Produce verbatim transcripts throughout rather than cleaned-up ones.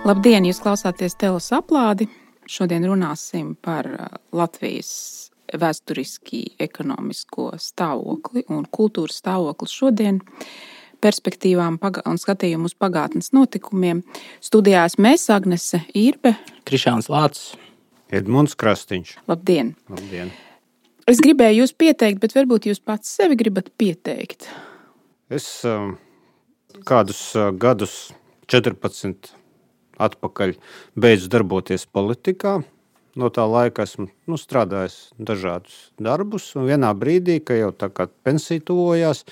Labdien, jūs klausāties Telos aplādi. Šodien runāsim par Latvijas vēsturiski ekonomisko stāvokli un kultūras stāvokli šodien, perspektīvām un skatījumu uz pagātnes notikumiem. Studijās mēs, Agnese Irbe, Krišāns Lācis, Edmunds Krastīņš. Labdien! Labdien! Es gribēju jūs pieteikt, bet varbūt jūs pats sevi gribat pieteikt. Es kādus gadus četrpadsmit atpakaļ beidzu darboties politikā. No tā laika esmu nu, strādājis dažādus darbus, un vienā brīdī, ka jau tā kā pensija tuvojās,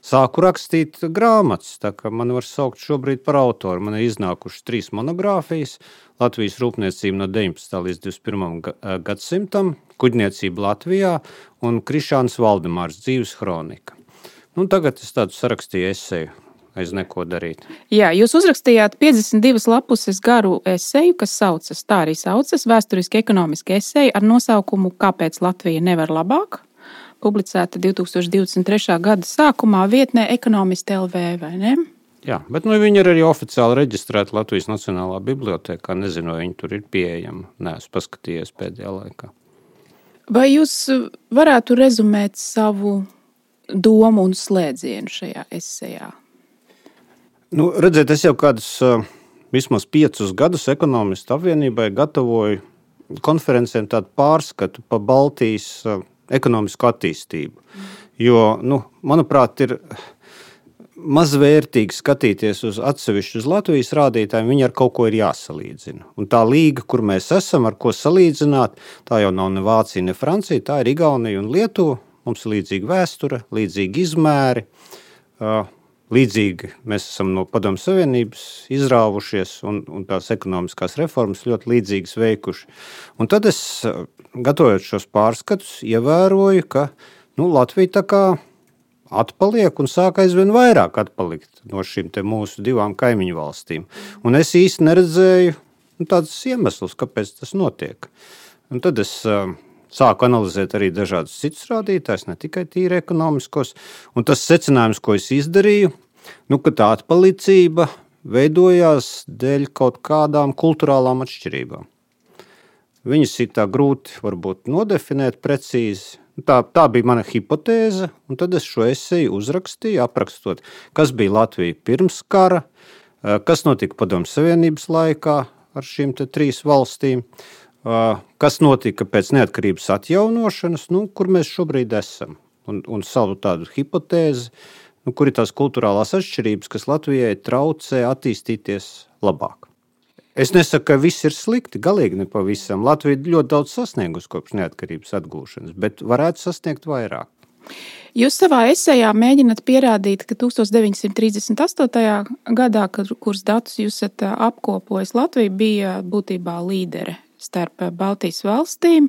sāku rakstīt grāmatas, tā kā man var saukt šobrīd par autoru. Man ir iznākušas trīs monogrāfijas: Latvijas rūpniecība no deviņpadsmitā līdz divdesmit pirmajam gadsimtam, Kuģniecība Latvijā un Krišāns Valdemārs dzīves hronika. Nu, tagad es tādu sarakstīju eseju aiz neko darīt. Jā, jūs uzrakstījāt piecdesmit divas lapuses garu eseju, kas saucas, tā arī saucas, vēsturiski ekonomiski eseja ar nosaukumu Kāpēc Latvija nevar labāk? Publicēta divi tūkstoši divdesmit trešā gada sākumā vietnē Ekonomisti L V, vai ne? Jā, bet nu, viņi ir arī oficiāli reģistrēti Latvijas Nacionālā bibliotēkā. Nezinu, vai viņi tur ir pieejami. Neesmu paskatījies pēdējā laikā. Vai jūs varētu rezumēt savu domu un slēdzienu šajā esejā? Nu, redziet, es jau kādus uh, vismaz piecus gadus Ekonomistu apvienībai gatavoju konferencēm tādu pārskatu pa Baltijas uh, ekonomisko attīstību. Jo, nu, manuprāt, ir mazvērtīgi skatīties uz atsevišķu uz Latvijas rādītājiem, viņi ar kaut ko ir jāsalīdzina. Un tā līga, kur mēs esam, ar ko salīdzināt, tā jau nav ne Vācija, ne Francija, tā ir Igaunija un Lietuva. Mums ir līdzīga vēsture, līdzīgi izmēri. Uh, Līdzīgi mēs esam no Padomju Savienības izrāvušies un, un tās ekonomiskās reformas ļoti līdzīgas veikuši. Un tad es, gatavojot šos pārskatus, ievēroju, ka nu, Latvija tā kā atpaliek un sāk aizvien vairāk atpalikt no šīm te mūsu divām kaimiņu valstīm. Un es īsti neredzēju nu, tādus iemeslus, kāpēc tas notiek. Un tad es sāku analizēt arī dažādus citus rādītājus, ne tikai tīri ekonomiskos. Un tas secinājums, ko es izdarīju, nu, ka tā atpalicība veidojās dēļ kaut kādām kulturālām atšķirībām. Viņas ir tā grūti varbūt nodefinēt precīzi. Tā, tā bija mana hipotēze, un tad es šo eseju uzrakstīju, aprakstot, kas bija Latvija pirms kara, kas notika Padomju Savienības laikā ar šīm te trīs valstīm, kas notika pēc neatkarības atjaunošanas, nu, kur mēs šobrīd esam, un, un savu tādu hipotēzi, nu, kur ir tās kulturālās atšķirības, kas Latvijai traucē attīstīties labāk. Es nesaku, ka viss ir slikti, galīgi ne pavisam. Latvija ļoti daudz sasniegusi kopš neatkarības atgūšanas, bet varētu sasniegt vairāk. Jūs savā esejā mēģināt pierādīt, ka tūkstoš deviņsimt trīsdesmit astotajā gadā, kuras datus jūs esat apkopojis, Latvija bija būtībā līdere starp Baltijas valstīm,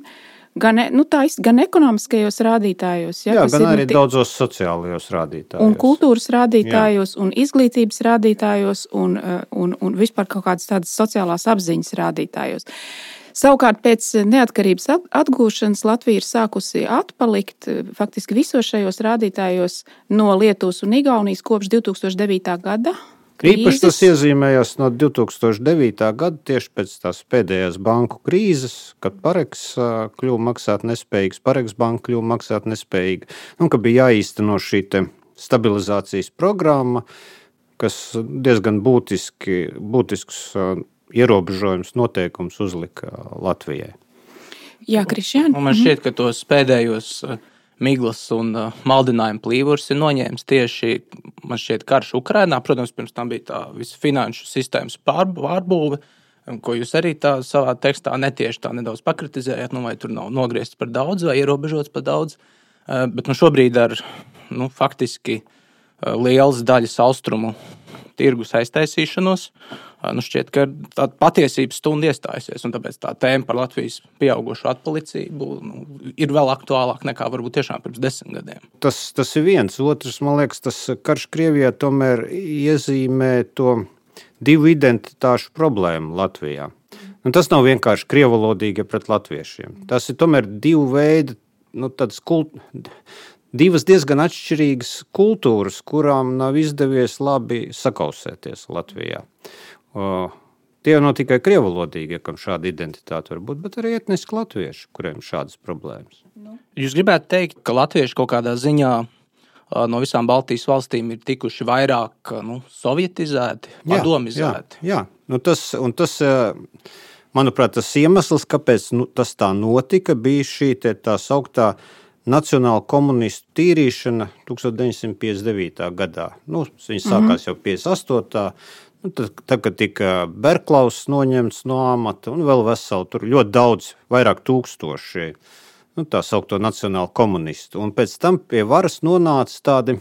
gan, nu, tā, gan ekonomiskajos rādītājos. Ja, Jā, gan arī daudzos sociālajos rādītājos. Un kultūras rādītājos, Jā. Un izglītības rādītājos, un, un, un vispār kaut kādas tādas sociālās apziņas rādītājos. Savukārt pēc neatkarības atgūšanas Latvija ir sākusi atpalikt faktiski visos šajos rādītājos no Lietuvas un Igaunijas kopš divi tūkstoši devītā gada. Krīzes. Īpaši tas iezīmējās no divi tūkstoši devītā gada, tieši pēc tās pēdējās banku krīzes, kad Pareks kļuva maksāt nespējīgs, Pareks banka kļuva maksāt nespējīga, un ka bija jāīsteno šī te stabilizācijas programma, kas diezgan būtiski, būtisks ierobežojums noteikums uzlika Latvijai. Jā, Krišjān. Un man šķiet, ka tos pēdējos miglas un uh, maldinājuma plīvurs ir noņēmis tieši, man šķiet, karš Ukrainā. Protams, pirms tam bija tā visa finanšu sistēmas pārbūve, ko jūs arī tā savā tekstā netieši tā nedaudz pakritizējāt, nu, vai tur nav nogriezts par daudz vai ierobežots par daudz. Uh, bet nu, šobrīd ar nu, faktiski uh, lielas daļas austrumu tirgus aiztaisīšanos, nu šķiet, ka tā patiesības stunda iestājusies, un tāpēc tā tēma par Latvijas pieaugušo atpalicību nu, ir vēl aktuālāk nekā varbūt tiešām pirms desmit gadiem. Tas, tas ir viens. Otrs, man liekas, tas karš Krievijā tomēr iezīmē to divu identitāšu problēmu Latvijā. Un tas nav vienkārši krievalodīgi pret latviešiem. Tas ir tomēr divu veidu, nu, tādas kult... divas diezgan atšķirīgas kultūras, kurām nav izdevies labi sakausēties Latvijā. Tie nav tikai krievalodīgie, kam šāda identitāte var būt, bet arī etniski latvieši, kuriem ir šādas problēmas. Jūs gribētu teikt, ka latvieši kaut kādā ziņā no visām Baltijas valstīm ir tikuši vairāk nu, sovietizēti, padomizēti? Jā, jā. Nu, tas, un tas, manuprāt, tas iemesls, kāpēc nu, tas tā notika, bija šī tā sauktā nacionāla komunistu tīrīšana deviņdesmit piecdesmit devītā gadā. Nu, viņi sākās jau piecdesmit astotā Nu, tad, tad, kad tika Berklaus noņemts no amata un vēl veseli, tur ļoti daudz, vairāk tūkstoši, nu, tā saukto nacionālu komunistu. Un pēc tam pie varas nonāca tādi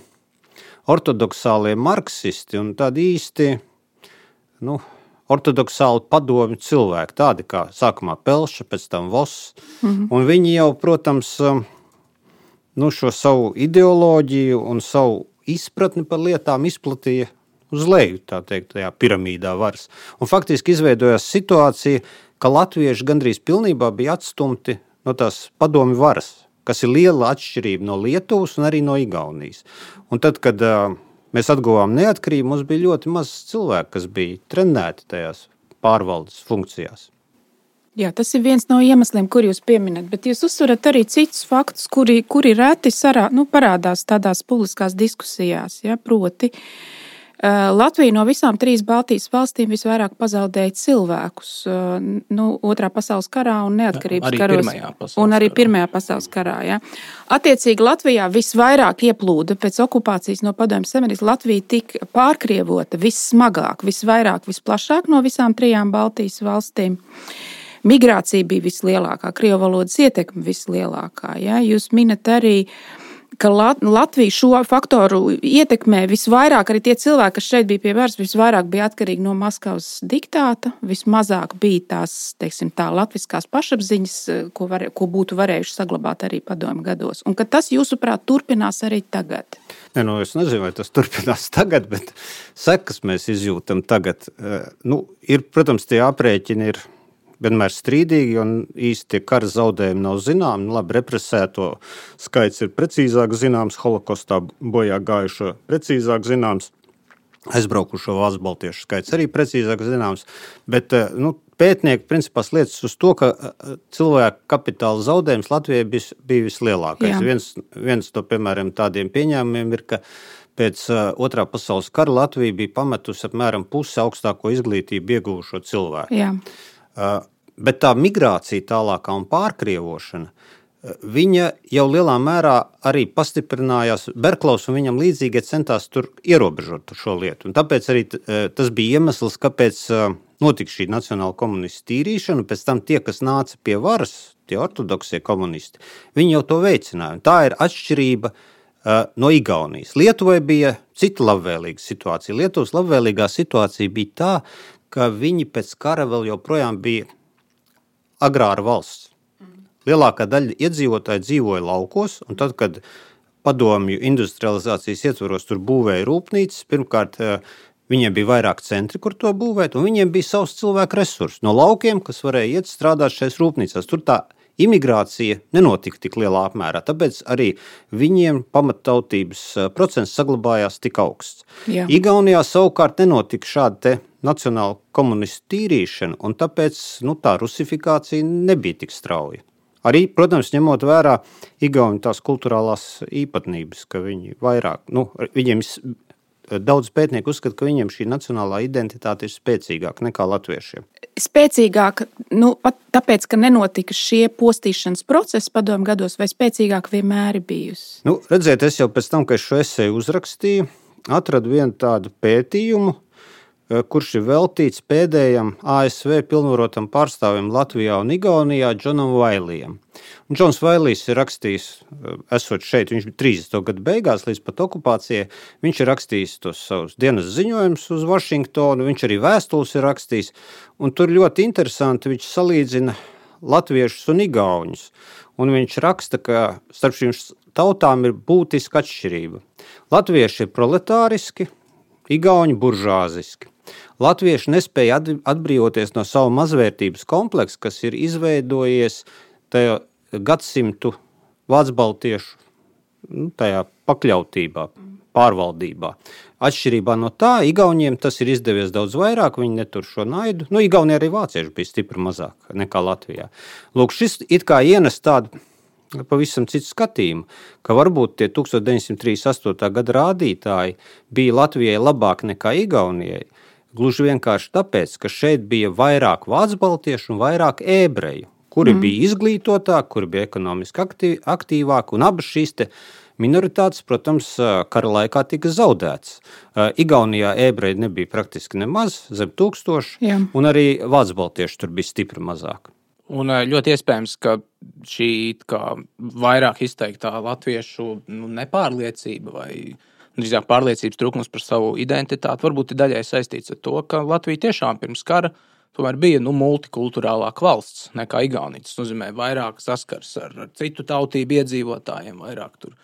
ortodoksālie marksisti un tādi īsti, nu, ortodoksāli padomju cilvēki, tādi kā sākumā Pelša, pēc tam Voss. Mm-hmm. Un viņi jau, protams, nu, šo savu ideoloģiju un savu izpratni par lietām izplatīja uz leju, tā teikt, tajā piramīdā varas. Un faktiski izveidojās situācija, ka latvieši gandrīz pilnībā bija atstumti no tās padomju varas, kas ir liela atšķirība no Lietuvas un arī no Igaunijas. Un tad, kad uh, mēs atguvām neatkarību, mums bija ļoti maz cilvēku, kas bija trenēti tajās pārvaldes funkcijās. Jā, tas ir viens no iemesliem, kur jūs pieminat, bet jūs uzsverat arī citus faktus, kuri, kuri reti sarā, nu, parādās tādās publiskās diskusijās, ja, proti. Latvija no visām trīs Baltijas valstīm visvairāk pazaudēja cilvēkus nu, otrā pasaules karā un neatkarības arī karos. Un arī Pirmajā pasaules karā. Ja. Attiecīgi Latvijā visvairāk ieplūda pēc okupācijas no Padomju Savienības. Latvija tika pārkrievota vissmagāk, visvairāk, visplašāk no visām trijām Baltijas valstīm. Migrācija bija vislielākā, krievu valodas ietekme vislielākā. Ja. Jūs minat arī ka Latvija šo faktoru ietekmē visvairāk, arī tie cilvēki, kas šeit bija pie varas, visvairāk bija atkarīgi no Maskavas diktāta, vismazāk bija tās, teiksim, tā latviskās pašapziņas, ko, var, ko būtu varējuši saglabāt arī padomju gados. Un ka tas, jūsuprāt, turpinās arī tagad? Ne, nu, es nezinu, vai tas turpinās tagad, bet sekas mēs izjūtam tagad. Nu, ir, protams, tie aprēķini ir vienmēr strīdīgi un īsti tie kara zaudējumi nav zināmi. Labi, represēto skaits ir precīzāk zināms, holokostā bojā gājušo precīzāk zināms, aizbraukušo valsts baltiešu skaits arī precīzāk zināms, bet nu, pētnieki principā liecas uz to, ka cilvēku kapitāla zaudējums Latvijai bija, bija vislielākais. Viens, viens no, piemēram, tādiem pieņēmumiem ir, ka pēc otrā pasaules kara Latvija bija pametusi apmēram pusi augstāko izglītību ieguvušo cilvēku. Jā. Uh, bet tā migrācija tālākā un pārkrievošana, viņa jau lielā mērā arī pastiprinājās. Berklaus un viņam līdzīgie centās tur ierobežot šo lietu. Un tāpēc arī tas bija iemesls, kāpēc notika šī nacionāla komunistu tīrīšana. Pēc tam tie, kas nāca pie varas, tie ortodoksie komunisti, viņi jau to veicināja. Un tā ir atšķirība no Igaunijas. Lietuvai bija cita labvēlīga situācija. Lietuvas labvēlīgā situācija bija tā, ka viņi pēc kara vēl joprojām bija agrāra valsts. Lielākā daļa iedzīvotāji dzīvoja laukos, un tad, kad padomju industrializācijas ietvaros tur būvēja rūpnīcas, pirmkārt, viņiem bija vairāk centri, kur to būvēt, un viņiem bija savs cilvēku resursi no laukiem, kas varēja iet strādāt šais rūpnīcās. Tur tā imigrācija nenotika tik lielā apmērā, tāpēc arī viņiem pamattautības procents saglabājās tik augsts. Jā. Igaunijā savukārt nenotika šāda te nacionāla komunistu tīrīšana, un tāpēc nu, tā rusifikācija nebija tik strauja. Arī, protams, ņemot vērā Igauni tās kulturālās īpatnības, ka viņi vairāk, nu, viņiem daudz pētnieku uzskata, ka viņiem šī nacionālā identitāte ir spēcīgāka nekā latviešiem. Spēcīgāk, nu, tāpēc, ka nenotika šie postīšanas procesi padomju gados, vai spēcīgāk vienmēr ir bijusi? Nu, redziet, es jau pēc tam, kad šo eseju uzrakstīju, atradu vienu tādu pētījumu, kurš ir veltīts pēdējam A S V pilnvarotam pārstāvim Latvijā un Igaunijā Džonam Vailijam. Un Džons Vailijs ir rakstījis, esot šeit, viņš bija trīsdesmito gadu beigās līdz pat okupācijai, viņš ir rakstījis tos savus dienas ziņojumus uz Vašingtonu, viņš arī vēstules ir rakstījis, un tur ļoti interesanti viņš salīdzina latviešus un igauņus, un viņš raksta, ka starp šīm tautām ir būtiska atšķirība. Latvieši ir proletāriski, igauņi buržāziski. Latvieši nespēja atbrīvoties no savu mazvērtības kompleksu, kas ir izveidojies tajā gadsimtu vācu baltiešu nu, tajā pakļautībā pārvaldībā. Atšķirībā no tā, Igauniem tas ir izdevies daudz vairāk, viņi netur šo naidu. Nu, Igaunija arī vācieši bija stipri mazāk nekā Latvijā. Lūk, šis it kā ienes tādu pavisam citu skatījumu, ka varbūt tie tuksmit deviņsimt trīsdesmit astotā gada rādītāji bija Latvijai labāk nekā Igaunijai, gluži vienkārši tāpēc, ka šeit bija vairāk vācu baltiešu un vairāk ebreju, kuri mm. bija izglītotāki, kuri bija ekonomiski aktīv, aktīvāki, un abas šīs te minoritātes, protams, kara laikā tika zaudētas. Igaunijā ebreji nebija praktiski nemaz, zem tūkstoši, Jā. Un arī vācu baltieši tur bija stipri mazāk. Un ļoti iespējams, ka šī kā vairāk izteiktā latviešu nu, nepārliecība vai drīzāk pārliecības trūkums par savu identitāti varbūt ir daļai saistīts ar to, ka Latvija tiešām pirms kara tomēr bija nu, multikulturālāka valsts nekā Igaunija. Tas nozīmē vairāk saskars ar, ar citu tautību iedzīvotājiem, vairāk tur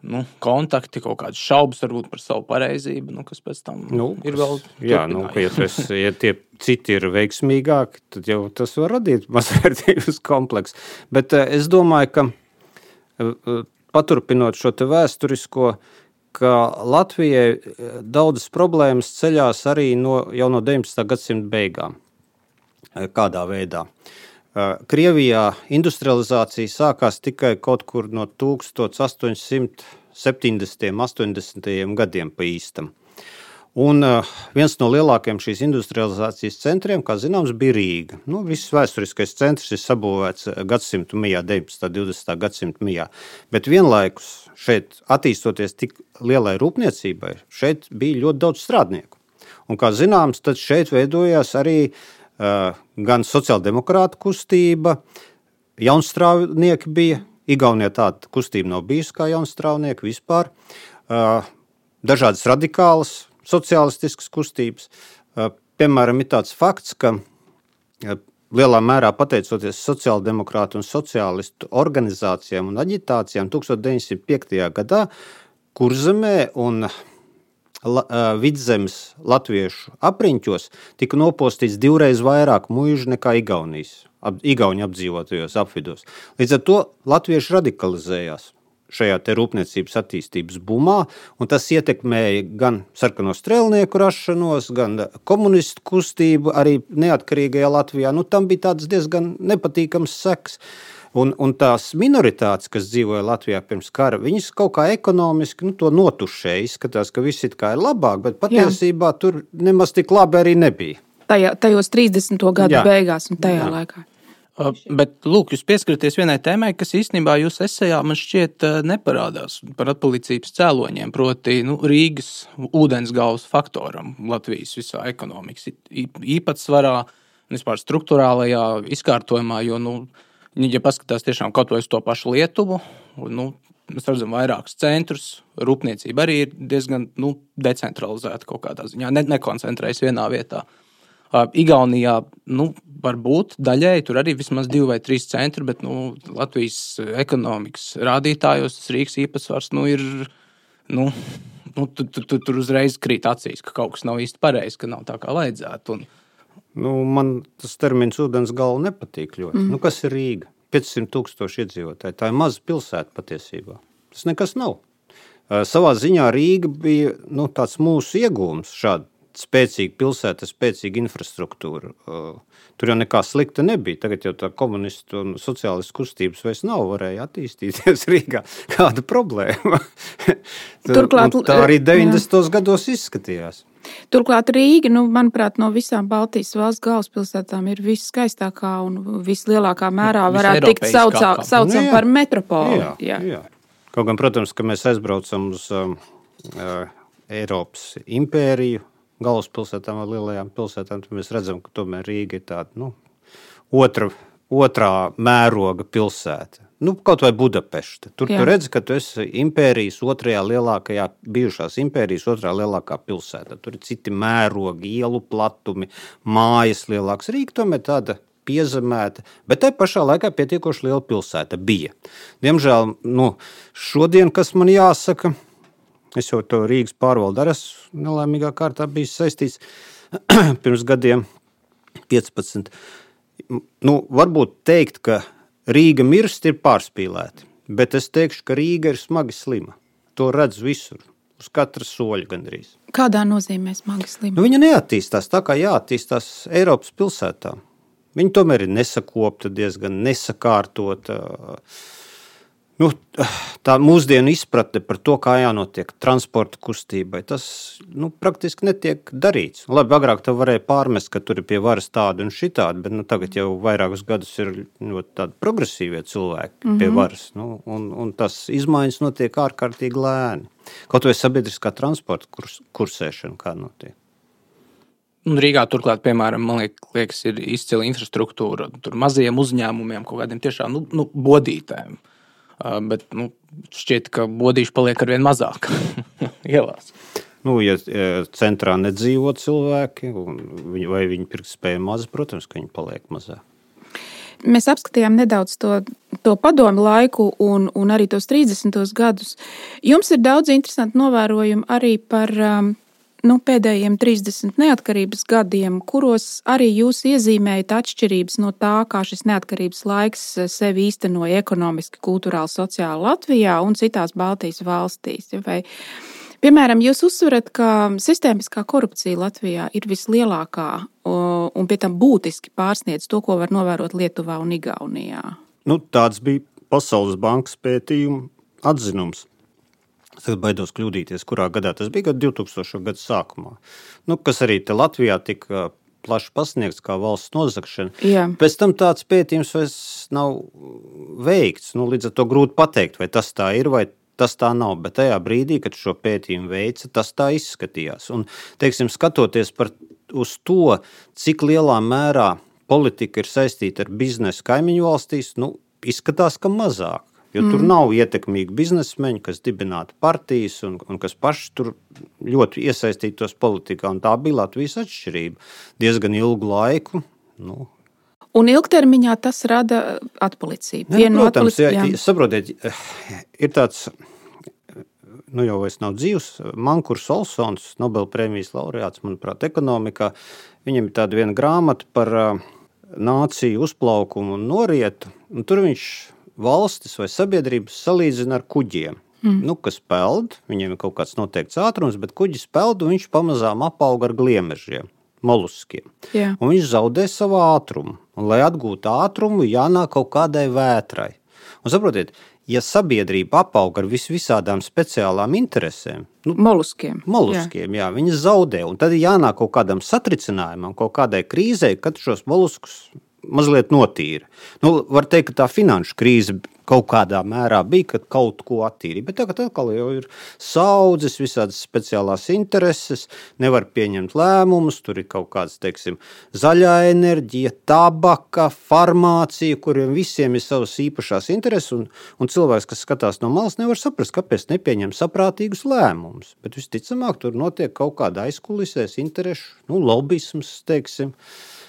nu, kontakti, kaut kādas šaubas varbūt par savu pareizību, nu, kas pēc tam nu, ir vēl jā, nu, ja, es, ja tie citi ir veiksmīgāki, tad jau tas var radīt mazvērtības kompleksu. Bet es domāju, ka paturpinot šo te vēsturisko, ka Latvijai daudzas problēmas ceļās arī no, jau no deviņpadsmitā gadsimta beigām. Kādā veidā? Krievijā industrializācija sākās tikai kaut kur no tukstot astoņsimt septiņdesmitajiem, astoņdesmitajiem gadiem pa īstam. Un viens no lielākajiem šīs industrializācijas centriem, kā zināms, bija Rīga. Nu, viss vēsturiskais centrs ir sabūvēts gadsimtu mijā, deviņpadsmitā, divdesmitā gadsimtu mijā. Bet vienlaikus šeit attīstoties tik lielai rūpniecībai, šeit bija ļoti daudz strādnieku. Un kā zināms, tad šeit veidojās arī Uh, gan sociāldemokrāta kustība, jaunstrāvnieki bija, Igaunijā tāda kustība nav bijusi kā jaunstrāvnieki vispār, uh, dažādas radikālas sociālistiskas kustības. Uh, piemēram, ir tāds fakts, ka uh, lielā mērā pateicoties sociāldemokrātu un sociālistu organizācijām un aģitācijām tuksmit deviņsimt piektajā gadā Kurzemē un La, Vidzemes latviešu apriņķos tika nopostīts divreiz vairāk muižu nekā Igaunijas, ap, Igauņu apdzīvotajos apvidos. Līdz ar to latvieši radikalizējās šajā te rūpniecības attīstības bumā, un tas ietekmēja gan sarkano strēlnieku rašanos, gan komunistu kustību arī neatkarīgajā Latvijā. Nu, tam bija tāds diezgan nepatīkams seks. Un, un tās minoritātes, kas dzīvoja Latvijā pirms kara, viņas kaut kā ekonomiski nu, to notušēja, izskatās, ka viss it kā ir labāk, bet patiesībā Jā. Tur nemaz tik labi arī nebija. Tajā, tajos trīsdesmito gadu Jā. Beigās un tajā Jā. Laikā. Uh, bet, lūk, jūs pieskaraties vienai tēmai, kas īstenībā jūs esejā man šķiet uh, neparādās par atpalicības cēloņiem, proti nu, Rīgas ūdensgaules faktoram Latvijas visā ekonomikas īpatsvarā un vispār struktūrālajā izkārtojumā, jo, nu, ja paskatās tiešām kaut vai uz to pašu Lietuvu, nu, mēs redzam vairākus centrus, rūpniecība arī ir diezgan nu, decentralizēta kaut kādā ziņā, ne, nekoncentrējas vienā vietā. Uh, Igaunijā, nu, varbūt daļēji tur arī vismaz divi vai trīs centri, bet nu, Latvijas ekonomikas rādītājos tas Rīgas īpatsvars nu, ir, nu, nu, tu, tu, tu, tur uzreiz krīt acīs, ka kaut kas nav īsti pareizi, ka nav tā kā vajadzētu. Un, Nu, man tas termins ūdensgala nepatīk ļoti. Mm. Nu, kas ir Rīga? piecsimt tūkstoši iedzīvotāji. Tā ir maza pilsēta patiesībā. Tas nekas nav. Uh, savā ziņā Rīga bija nu, tāds mūsu iegūms, šāda spēcīga pilsēta, spēcīga infrastruktūra. Uh, tur jau nekā slikta nebija. Tagad jau tā komunistu un sociālistu kustības vairs nav, varēja attīstīties Rīgā. Kāda problēma? Turklāt, tā arī deviņdesmitos gados izskatījās. Turklāt Rīga, nu, manuprāt, no visām Baltijas valsts galvaspilsētām ir viskaistākā un vislielākā mērā varētu tikt saucam, saucam nu, par metropoli. Jā, jā. Jā. Kaut gan, protams, ka mēs aizbraucam uz um, uh, Eiropas impēriju, galvaspilsētām vai lielajām pilsētām, tad mēs redzam, ka tomēr Rīga ir tāda, nu, otra, otrā mēroga pilsēta. Nu, kaut vai Budapešta. Tur Jā. Tu redzi, ka tu esi impērijas otrajā lielākajā, bijušās impērijas otrā lielākā pilsēta. Tur ir citi mērogi, ielu platumi, mājas lielāks. Rīga tomēr tāda piezemēta, bet tai pašā laikā pietiekoši liela pilsēta bija. Diemžēl, nu, šodien, kas man jāsaka, es jau to Rīgas pārvaldu arī esmu nelaimīgā kārtā bijis saistīts pirms gadiem piecpadsmit. Nu, varbūt teikt, ka Rīga mirst ir pārspīlēti, bet es teikšu, ka Rīga ir smagi slima. To redz visur. Uz uz katra soļa gandrīz. Kādā nozīmē smagi slimi? Nu, viņa neattīstās tā, kā jāattīstās Eiropas pilsētā. Viņa tomēr ir nesakopta, diezgan nesakārtota. Nu, tā mūsdienu izpratne par to, kā jānotiek transporta kustībai, tas nu, praktiski netiek darīts. Labi, agrāk tev varēja pārmest, ka tur ir pie varas tādi un šitādi, bet nu, tagad jau vairākus gadus ir ļoti tādi progresīvie cilvēki mm-hmm. pie varas. Nu, un, un tas izmaiņas notiek ārkārtīgi lēni. Kaut vai sabiedriskā transporta kurs, kursēšana kā notiek. Un Rīgā turklāt, piemēram, man liekas, ir izcila infrastruktūra tur mazajiem uzņēmumiem, kaut kādiem tiešām nu, nu, bodītēm. Uh, bet nu, šķiet, ka bodīši paliek arvien mazāk ielās. Nu, ja centrā nedzīvo cilvēki, viņi, vai viņi pirktspēja maza, protams, ka viņi paliek mazāk. Mēs apskatījām nedaudz to, to padomu laiku un, un arī tos trīsdesmitos gadus. Jums ir daudz interesanti novērojumi arī par um, nu, pēdējiem trīsdesmit neatkarības gadiem, kuros arī jūs iezīmējat atšķirības no tā, kā šis neatkarības laiks sevi īstenoja ekonomiski, kultūrāli, sociāli Latvijā un citās Baltijas valstīs. Vai, piemēram, jūs uzsverat, ka sistēmiskā korupcija Latvijā ir vislielākā un pie tam būtiski pārsniedz to, ko var novērot Lietuvā un Igaunijā. Nu, tāds bija Pasaules bankas pētījuma atzinums. Tagad baidos kļūdīties, kurā gadā tas bija, gadu divtūkstošo gadu sākumā. Nu, kas arī te Latvijā tika plaši pasniegts kā valsts nozagšana. Jā. Pēc tam tāds pētījums vairs nav veikts. Nu, līdz ar to grūti pateikt, vai tas tā ir, vai tas tā nav. Bet tajā brīdī, kad šo pētījumu veica, tas tā izskatījās. Un, teiksim, skatoties par, uz to, cik lielā mērā politika ir saistīta ar biznesu kaimiņu valstīs, nu, izskatās, ka mazāk. Jo mm. tur nav ietekmīgi biznesmeņi, kas dibinātu partijas un, un kas paši tur ļoti iesaistītos politikā. Un tā bija Latvijas atšķirība. Diezgan ilgu laiku. Nu. Un ilgtermiņā tas rada atpalicību. Ne, nu, protams, jā, jā. Saprotiet, ir tāds, nu jau vairs nav dzīvs, Mankurs Olsons, Nobelprēmijas laureāts, manuprāt, ekonomikā. Viņam ir tāda viena grāmata par uh, nāciju uzplaukumu un norietu. Un tur viņš valstis vai sabiedrības salīdzina ar kuģiem, mm. nu, kas peld, viņiem ir kaut kāds noteikts ātrums, bet kuģis peld un viņš pamazām apauga ar gliemežiem, moluskiem. Jā. Un viņš zaudē savu ātrumu. Un, lai atgūtu ātrumu, jānāk kaut kādai vētrai. Un saprotiet, ja sabiedrība apauga ar vis visādām speciālām interesēm, nu, moluskiem, moluskiem jā. Jā, viņi zaudē. Un tad jānāk kaut kādam satricinājumam, kaut kādai krīzei, kad šos moluskus mazliet notīra. Nu, var teikt, ka tā finanšu krīze kaut kādā mērā bija, kad kaut ko attīrīja. Bet tagad atkal jau ir saudzes, visādas speciālās intereses, nevar pieņemt lēmumus, tur ir kaut kāds, teiksim, zaļā enerģija, tabaka, farmācija, kuriem visiem ir savas īpašās intereses, un, un cilvēks, kas skatās no malas, nevar saprast, kāpēc nepieņem saprātīgus lēmumus. Bet visticamāk, tur notiek kaut kāda aizkulisēs interešu, nu, lobisms, teiksim.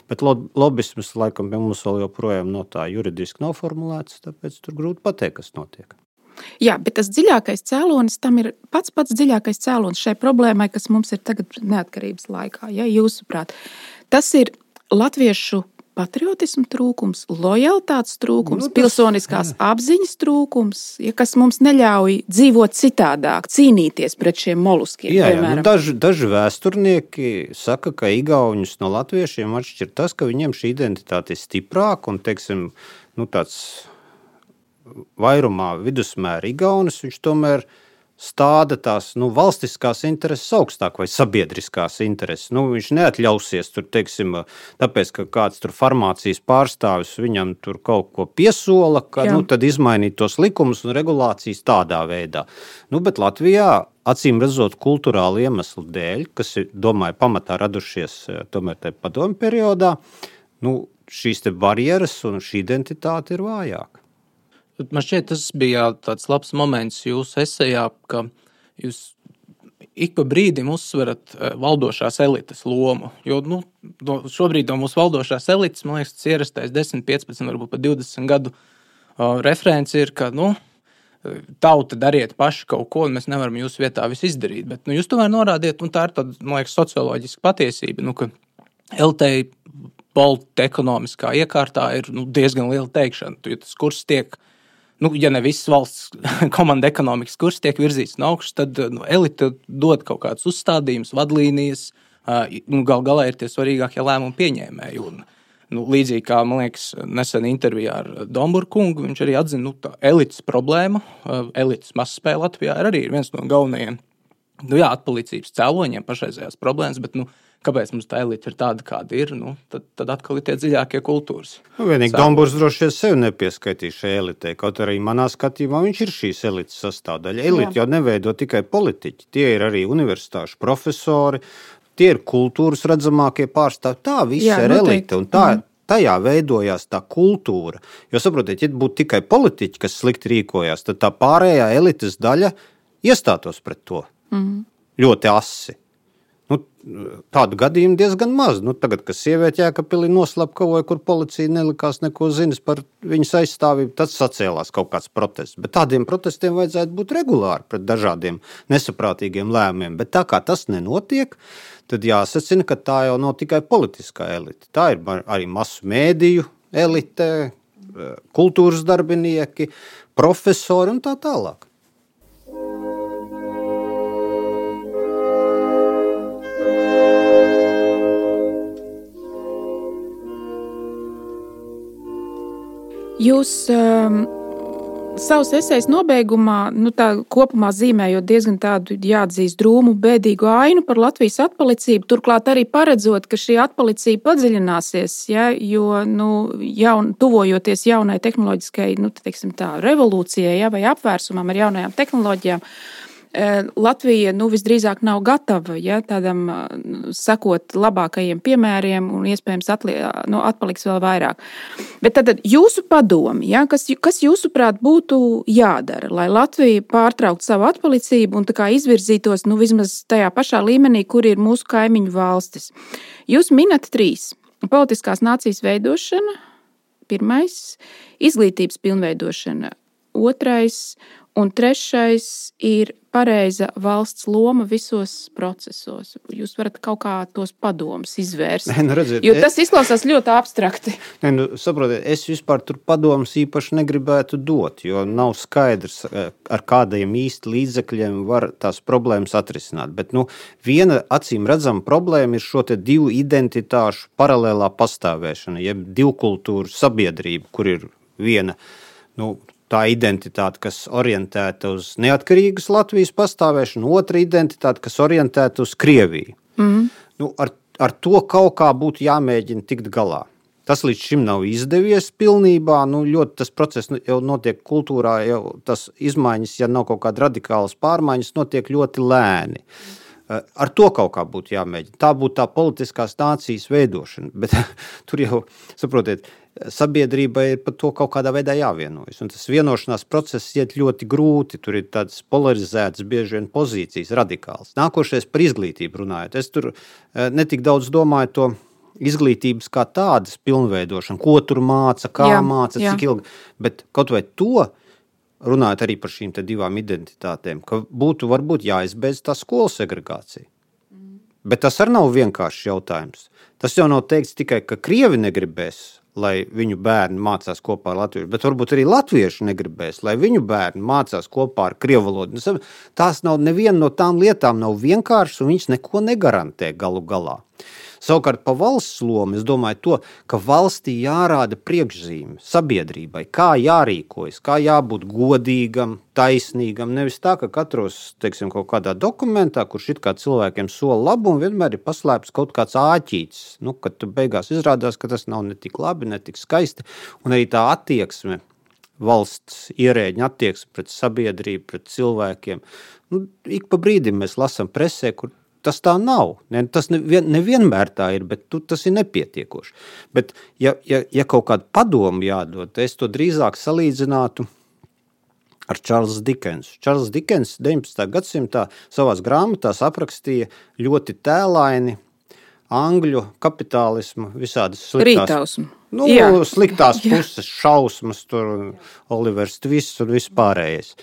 Bet lobisms, laikam, pie mums vēl joprojām no tā juridiski nav formulēts, tāpēc tur grūti pateikt, kas notiek. Jā, bet tas dziļākais cēlonis, tam ir pats pats dziļākais cēlonis šai problēmai, kas mums ir tagad neatkarības laikā, ja jūsuprāt. Tas ir latviešu patriotismu trūkums, lojalitātes trūkums, nu, tas, pilsoniskās jā. apziņas trūkums, ja, kas mums neļauj dzīvot citādāk, cīnīties pret šiem moluskiem. Jā, jā, nu, daži, daži vēsturnieki saka, ka igauņus no latviešiem atšķir tas, ka viņiem šī identitāte ir stiprāka un, teiksim, nu, tāds vairumā vidusmēra igaunis, viņš tomēr stāda tās nu, valstiskās intereses augstāk vai sabiedriskās intereses. Nu, viņš neatļausies tur, teiksim, tāpēc, ka kāds tur farmācijas pārstāvis viņam tur kaut ko piesola, ka nu, tad izmainīt tos likumus un regulācijas tādā veidā. Nu, bet Latvijā, acīm redzot kulturāli iemeslu dēļ, kas ir, domāju, pamatā radušies tomēr tajā padomu periodā, nu, šīs te barjeras un šī identitāte ir vājāka. Man šķiet, tas bija tāds labs moments jūsu esejā, ka jūs ik pa brīdim uzsverat valdošās elites lomu. Jo nu, šobrīd no mūsu valdošās elites, man liekas, tas ierastais desmit, piecpadsmit, varbūt pat divdesmit gadu uh, referents ir, ka nu, tauta dariet paši kaut ko, un mēs nevaram jūsu vietā visu izdarīt. Bet nu, jūs tomēr norādiet, un tā ir tāda, man liekas, socioloģiska patiesība, nu, ka L T politekonomiskā iekārtā ir nu, diezgan liela teikšana, jo tas kurs tiek nu, ja ne viss valsts komanda ekonomikas kurs tiek virzīts no augšas, tad nu, elite dod kaut kādus uzstādījumus, vadlīnijas, nu, gal galā ir tie svarīgākie lēmumu pieņēmēji. Un, nu, līdzīgi kā, man liekas, nesen intervijā ar Domburu kungu, viņš arī atzina, nu, tā elites problēma, elites mazspēja Latvijā ir arī viens no galvenajiem, nu, jā, atpalicības cēloņiem pašreizējās problēmas, bet, nu, kāpēc mums tā elite ir tāda, kāda ir, nu, tad, tad atkal ir tie dziļākie kultūras. Nu, vienīgi Domburs droši vien sevi nepieskaitīs šai elitei, kaut arī manā skatījumā viņš ir šīs elites sastāvdaļa. Elite jau neveido tikai politiķi, tie ir arī universitāšu profesori, tie ir kultūras redzamākie pārstāvji, tā viss Jā, ir elite, un tā, tajā veidojās tā kultūra. Jo saprotiet, ja būtu tikai politiķi, kas slikti rīkojās, tad tā pārējā elites daļa iestātos pret to mm. ļoti asi. Nu, tādu gadījumu diezgan maz. Nu, tagad, kad sieviete Jēkabpilī noslapkavoja, kur policija nelikās neko zinis par viņas aizstāvību, tad sacēlās kaut kāds protests. Bet tādiem protestiem vajadzētu būt regulāri pret dažādiem nesaprātīgiem lēmumiem. Bet tā kā tas nenotiek, tad jāsacina, ka tā jau nav tikai politiskā elite. Tā ir arī masu mēdīju elite, kultūras darbinieki, profesori un tā tālāk. Jūs um, savus esejas nobeigumā, nu tā kopumā zīmējot diezgan tādu jāatzīst drūmu, bēdīgu ainu par Latvijas atpalicību, turklāt arī paredzot, ka šī atpalicība padziļināsies, ja, jo nu, jaun, tuvojoties jaunai tehnoloģiskai nu, teiksim tā, revolūcijai ja, vai apvērsumam ar jaunajām tehnoloģijām, Latvija nu, visdrīzāk nav gatava ja, tādam sekot labākajiem piemēriem un iespējams atli, nu, atpaliks vēl vairāk. Bet tad jūsu padomi, ja, kas, kas jūsuprāt būtu jādara, lai Latvija pārtrauktu savu atpalicību un tā kā izvirzītos nu, vismaz tajā pašā līmenī, kur ir mūsu kaimiņu valstis? Jūs minat trīs. Politiskās nācijas veidošana, pirmais, izglītības pilnveidošana, otrais un trešais ir pareiza valsts loma visos procesos. Jūs varat kaut kā tos padomus izvērst, ne, nu redziet, jo tas izklausās ļoti abstrakti. Ne, nu, saprotiet, es vispār tur padomus īpaši negribētu dot, jo nav skaidrs, ar kādiem īsti līdzekļiem var tās problēmas atrisināt. Bet nu, viena acīm redzama problēma ir šo te divu identitāšu paralēlā pastāvēšana, jeb divkultūru sabiedrība, kur ir viena, nu, tā identitāte, kas orientēta uz neatkarīgas Latvijas pastāvēšanu, otra identitāte, kas orientēta uz Krieviju. Mm. Nu, ar, ar to kaut kā būtu jāmēģina tikt galā. Tas līdz šim nav izdevies pilnībā, nu, ļoti tas process jau notiek kultūrā, jau tas izmaiņas, ja nav kaut kāda radikālas pārmaiņas, notiek ļoti lēni. Ar to kaut kā būtu jāmēģina. Tā būtu tā politiskās nācijas veidošana, bet tur jau, saprotiet, sabiedrībai ir par to kaut kādā veidā jāvienojas. Un tas vienošanās process iet ļoti grūti, tur ir tādas polarizētas bieži vien pozīcijas, radikāls. Nākošais par izglītību runājot. Es tur netik daudz domāju to izglītības kā tādas pilnveidošanu, ko tur māca, kā jā, māca, jā. Cik ilgi. Bet kaut vai to, runājot arī par šīm te divām identitātēm, ka būtu varbūt jāizbeidz tā skolu segregācija. Mm. Bet tas arī nav vienkāršs jautājums. Tas jau nav teikts tikai, ka Krievi negribēs, lai viņu bērni mācās kopā ar latviešu, bet varbūt arī latvieši negribēs, lai viņu bērni mācās kopā ar krievu valodu. Tās nav neviena no tām lietām nav vienkāršas, un viņas neko negarantē galu galā. Savukārt pa valsts lomu es domāju to, ka valstī jārāda priekšzīme sabiedrībai, kā jārīkojas, kā jābūt godīgam, taisnīgam, nevis tā, ka katros, teiksim, kaut kādā dokumentā, kurš it kā cilvēkiem sola labumu, vienmēr ir paslēpts kaut kāds āķītis, nu, kad tu beigās izrādās, ka tas nav ne tik labi, ne tik skaisti, un arī tā attieksme, valsts ierēģiņa attieksme pret sabiedrību, pret cilvēkiem. Nu, ik pa brīdim mēs lasam presē, kur tas tā nav. Ne, tas nevien, nevienmēr tā ir, bet tu, tas ir nepietiekoši. Bet ja, ja, ja kaut kādu padomu jādod, es to drīzāk salīdzinātu ar Čārlzu Dikensu. Čārls Dikens deviņpadsmitā gadsimtā savās grāmatās aprakstīja ļoti tēlaini angļu kapitālismu, visādas sliktās, nu, sliktās puses, šausmas, tur Olivers Twists un vispārējais.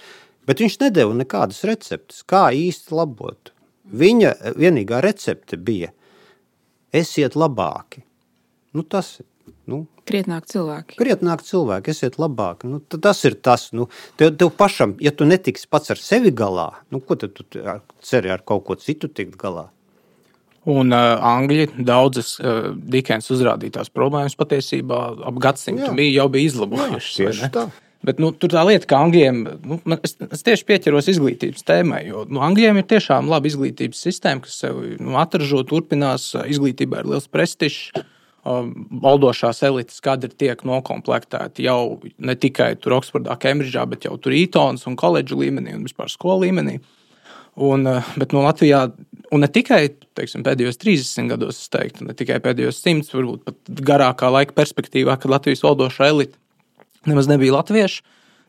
Bet viņš nedeva nekādas receptes, kā īsti labot. Viņa vienīgā recepte bija esiet labāki. Nu, tas, Nu, krietnāk cilvēki. Krietnāk cilvēki, esiet labāk. Nu, tas ir tas. Nu, tev, tev pašam, ja tu netiksi pats ar sevi galā, nu, ko tad tu ceri ar kaut ko citu tikt galā? Un uh, Angļi daudzas uh, Dikens uzrādītās problēmas patiesībā ap gadsimtu Jā. bija, jau bija izlabojušas. Jā, tieši tā. Bet nu, tur tā lieta, ka Angļiem, nu, es, es tieši pieķeros izglītības tēmai, jo nu, Angļiem ir tiešām laba izglītības sistēma, kas sev nu, atražo, turpinās, izglītībā ir liels prestižs, valdošās elites kadri tiek nokomplektēti jau ne tikai tur Oksfordā, Kembridžā, bet jau tur Ītons un koledžu līmenī un vispār skolu līmenī. Un, bet no Latvijā, un ne tikai teiksim, pēdējos trīsdesmit gados, es teiktu, ne tikai pēdējos simts, varbūt pat garākā laika perspektīvā, kad Latvijas valdošā elite nemaz nebija latvieši,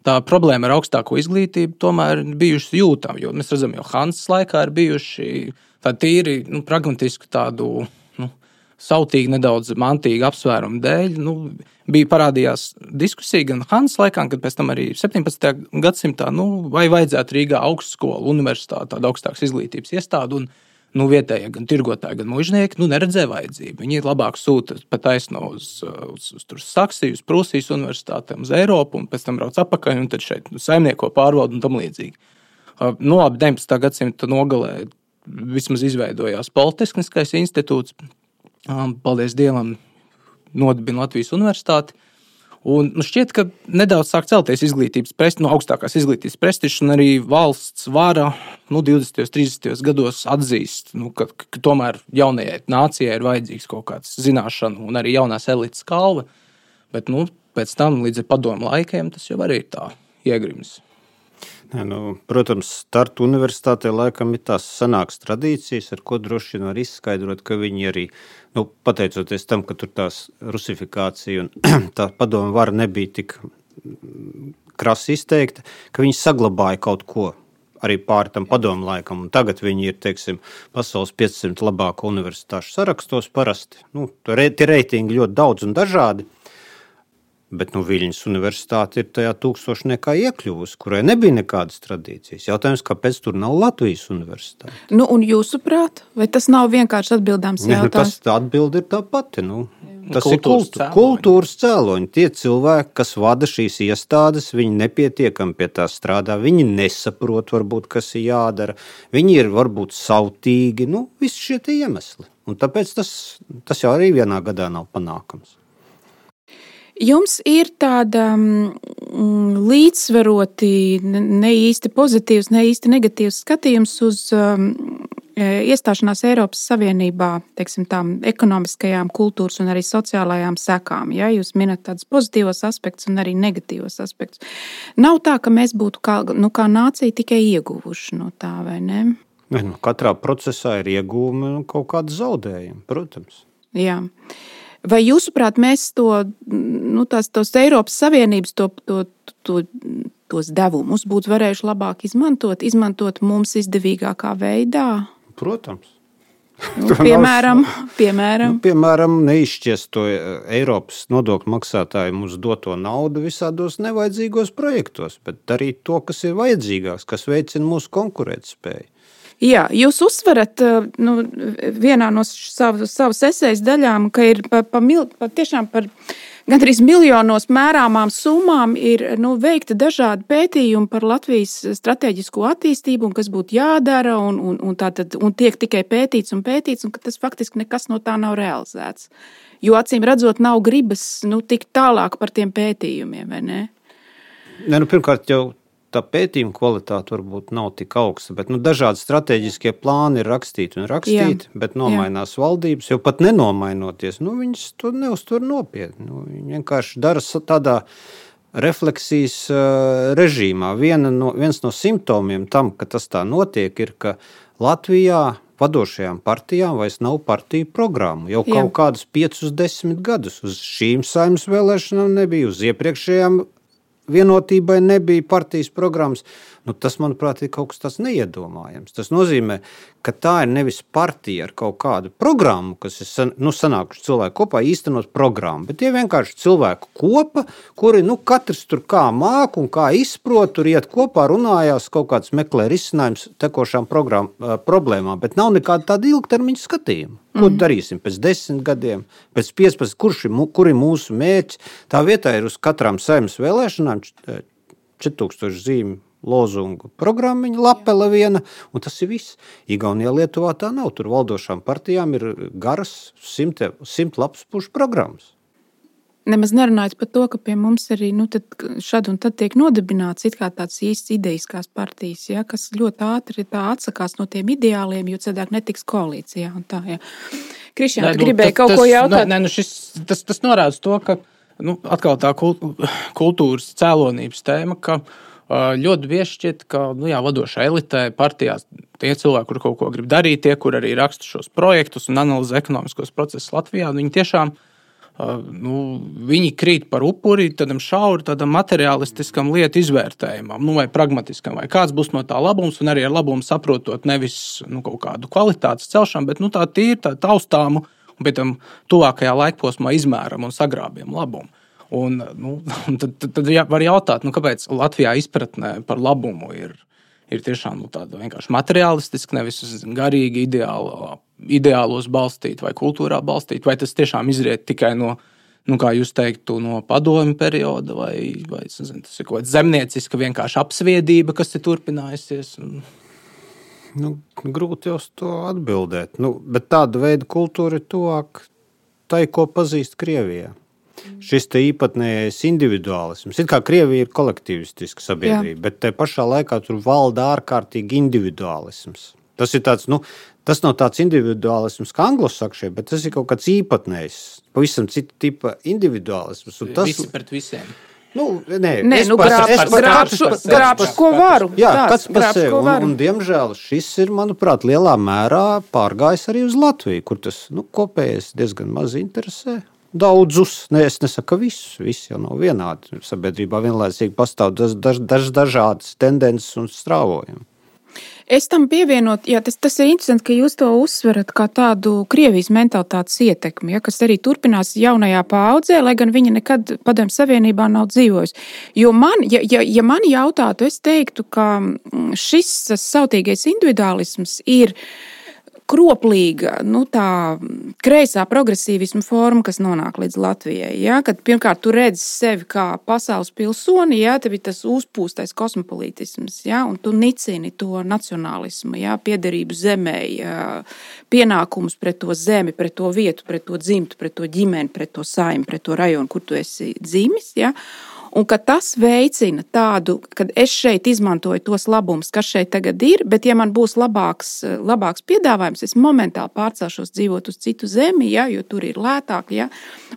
tā problēma ar augstāko izglītību tomēr bijuši jūtama, jo mēs redzam, jau Hansas laikā ir bijuši tādi tīri, nu, pragmatiski tādu, nu, sautīgi nedaudz mantīgu apsvērumu dēļ, nu, bija parādījās diskusija gan Hansas laikā, kad pēc tam arī septiņpadsmitajā gadsimtā, nu, vai vajadzētu Rīgā augstskolu, universitāti, tādu augstākas izglītības iestādu, un nu, vietējie gan tirgotāji, gan mužnieki nu, neredzēja vajadzību. Viņi labāk sūta pa taisno uz, uz, uz, uz Saksiju, uz Prūsijas universitātēm, uz Eiropu, un pēc tam brauc atpakaļ, un tad šeit nu, saimnieko pārvalda un tam līdzīgi. Nu, labi, deviņpadsmitā gadsimta nogalē vismaz izveidojās Politehniskais institūts, paldies Dievam, nodibina Latvijas universitāti. Un, nu, šķiet, ka nedaudz sāk celties izglītības prestižs, no augstākās izglītības prestižs, un arī valsts vara nu, divdesmitajos, trīsdesmitajos gados atzīst, nu, ka, ka tomēr jaunajai nācijai ir vajadzīgs kaut kāds zināšanu un arī jaunās elites kalva. Bet nu, pēc tam līdz ar padomu laikiem tas jau arī ir tā iegrims. Ja, nu, protams, Tartu universitātē laikam ir tās senākas tradīcijas, ar ko droši vien var izskaidrot, ka viņi arī, nu, pateicoties tam, ka tur tās rusifikācija un tā padomu vara nebija tik krasi izteikta, ka viņi saglabāja kaut ko arī pāri tam padomu laikam. Un tagad viņi ir, teiksim, pasaules piecsimt labāko universitāšu sarakstos parasti. Nu, tie reitingi ļoti daudz un dažādi. Bet nu, Viļņas universitāte ir tajā tūkstošniekā iekļuvusi, kurai nebija nekādas tradīcijas. Jautājums, kāpēc tur nav Latvijas universitāte? Nu, un jūsuprāt, vai tas nav vienkārši atbildāms jautājums? Ne, tas atbildi ir tā pati. Nu. Tas kultūras ir kultu, cēloņi. kultūras cēloņi. Tie cilvēki, kas vada šīs iestādes, viņi nepietiekami pie tā strādā, viņi nesaprot, varbūt, kas ir jādara, viņi ir varbūt sautīgi, nu, visi šie tie iemesli. Un tāpēc tas, tas jau arī vienā gadā nav panākams. Jums ir tāda mm, līdzsvaroti, ne īsti pozitīvs, ne īsti negatīvs skatījums uz um, iestāšanās Eiropas Savienībā, teiksim, tām ekonomiskajām, kultūras un arī sociālajām sekām. Ja? Jūs minat tādus pozitīvos aspektus un arī negatīvos aspektus. Nav tā, ka mēs būtu kā, nu, kā nācija tikai ieguvuši no tā, vai ne? Ne, nu, katrā procesā ir iegūmi un kaut kāda zaudējuma, protams. Jā. Vai jūsuprāt, mēs to, nu, tās, tos Eiropas Savienības to, to, to, tos devumus būtu varējuši labāk izmantot, izmantot mums izdevīgākā veidā? Protams. Nu, piemēram, piemēram. Nu, piemēram, neizšķiest to Eiropas nodokļu maksātāju mums doto naudu visādos nevajadzīgos projektos, bet darīt to, kas ir vajadzīgāks, kas veicina mūsu konkurētspēju. Jā, jūs uzsverat nu, vienā no savas, savas esejas daļām, ka ir pa, pa, pa, tiešām par gandrīz miljonos mērāmām summām ir nu, veikti dažādi pētījumi par Latvijas strateģisko attīstību un kas būtu jādara un, un, un, tātad, un tiek tikai pētīts un pētīts un ka tas faktiski nekas no tā nav realizēts. Jo acīm redzot nav gribas nu, tikt tālāk par tiem pētījumiem, vai ne? Ne, nu, pirmkārt jau tā pētījuma kvalitāte varbūt nav tik augsta, bet nu, dažādi strateģiskie plāni ir rakstīti un rakstīti, Jā. bet nomainās Jā. valdības, jo pat nenomainoties, nu, viņas to neuztver nopietni. Nu, viņi vienkārši dara tādā refleksijas uh, režīmā. Viena no, viens no simptomiem tam, ka tas tā notiek, ir, ka Latvijā vadošajām partijām vairs nav partiju programmu. Jau Jā. kaut kādus piecus, desmit gadus uz šīm saimnes vēlēšanām nebija, uz iepriekšējām vienotībai nebija partijas programmas. Nu, tas, manuprāt, ir kaut kas tāds neiedomājams. Tas nozīmē, ka tā ir nevis partija ar kaut kādu programmu, kas ir san, nu, sanākuši cilvēki kopā īstenot programmu, bet tie vienkārši cilvēku kopa, kuri nu, katrs tur kā māk un kā izprot, tur iet kopā, runājās, kaut kāds meklē risinājums tekošām program, problēmām, bet nav nekāda tāda ilgtermiņa skatījuma. Ko mm. darīsim pēc desmit gadiem, pēc piecpadsmit, kurš ir, kur ir mūsu mērķi? Tā vietā ir uz katrām saimnes vēlēšanām četri tūkstoši zīmju lozungu programmiņa, lapele viena, un tas ir viss. Igaunijā, Lietuvā tā nav. Tur valdošām partijām ir garas simt, simt lapas pušu programmas. Nemaz nerunājot par to, ka pie mums arī nu, šad un tad tiek nodibināts it kā tāds īsts ideiskās partijas, ja, kas ļoti ātri tā atsakās no tiem ideāliem, jo cedāk netiks koalīcijā. Un tā, ja. Krišjān, tu gribēji kaut tas, ko jautāt? Nē, nu šis, tas, tas norāda to, ka nu, atkal tā kultūras cēlonības tēma, ka ļoti bieži šķiet, ka nu, jā, vadošā elitē partijās tie cilvēki, kur kaut ko grib darīt, tie, kur arī raksta šos projektus un analizē ekonomiskos procesus Latvijā, viņi tiešām nu, viņi krīt par upuri tādam šauri, tādam materiālistiskam lietu izvērtējumam, nu, vai pragmatiskam, vai kāds būs no tā labums, un arī ar labumu saprotot nevis nu, kaut kādu kvalitātes celšanu, bet nu, tā tīri, tā taustāmu, un pēc tam tuvākajā laikposmā izmēram un sagrābjam labumu. Un, nu, tad, tad, tad var jautāt, nu, kāpēc Latvijā izpratnē par labumu ir, ir tiešām nu, tāda vienkārši materiālistiska, nevis garīgi ideālo, ideālos balstīt vai kultūrā balstīt, vai tas tiešām izriet tikai no, nu, kā jūs teiktu, no padomju perioda, vai, vai nezinu, tas ir kaut kāda zemnieciska vienkārši apsviedība, kas ir turpinājusies. Un... Nu, grūti jau uz to atbildēt, nu, bet tāda veida kultūra ir tuvāk tai, ko pazīst Krievijā. Šis te īpatnējais individuālisms. It kā Krievija ir kolektivistiska sabiedrība, Jā. bet te pašā laikā tur valda ārkārtīgi individuālisms. Tas ir tāds, nu, tas nav tāds individuālisms kā anglosakšie, bet tas ir kaut kāds īpatnējs, pavisam cita tipa individuālisms. Un tas... Visi pret visiem. Nu, nē, nē nu, grābš, ko varu. Jā, kāds par sevi. Un, un, diemžēl, šis ir, manuprāt, lielā mērā pārgājis arī uz Latviju, kur tas, nu, kopējais diezgan maz interesē. Daudzus, ne, es nesaku visus, visi jau nav vienādi. Sabiedrībā vienlaicīgi pastāv daž, daž, daž, dažādas tendences un strāvojumi. Es tam pievienot, jā, tas, tas ir interesanti, ka jūs to uzsverat kā tādu Krievijas mentalitātes ietekmi, ja, kas arī turpinās jaunajā paaudzē, lai gan viņa nekad Padomju Savienībā nav dzīvojusi. Jo man, ja, ja, ja man jautātu, es teiktu, ka šis sautīgais individuālisms ir kroplīga, nu tā kreisā progresīvisma forma, kas nonāk līdz Latvijai. Ja? Kad pirmkārt tu redzi sevi kā pasaules pilsoni, ja? Tev ir tas uzpūstais kosmopolītisms, ja? Un tu nicini to nacionālismu, ja? Piederību zemē, ja? Pienākumus pret to zemi, pret to vietu, pret to dzimtu, pret to ģimeni, pret to saimi, pret to rajonu, kur tu esi dzimis. Ja? Un ka tas veicina tādu, kad es šeit izmantoju tos labumus, kas šeit tagad ir, bet ja man būs labāks, labāks piedāvājums, es momentāli pārcelšos dzīvot uz citu zemi, ja, jo tur ir lētāk, ja,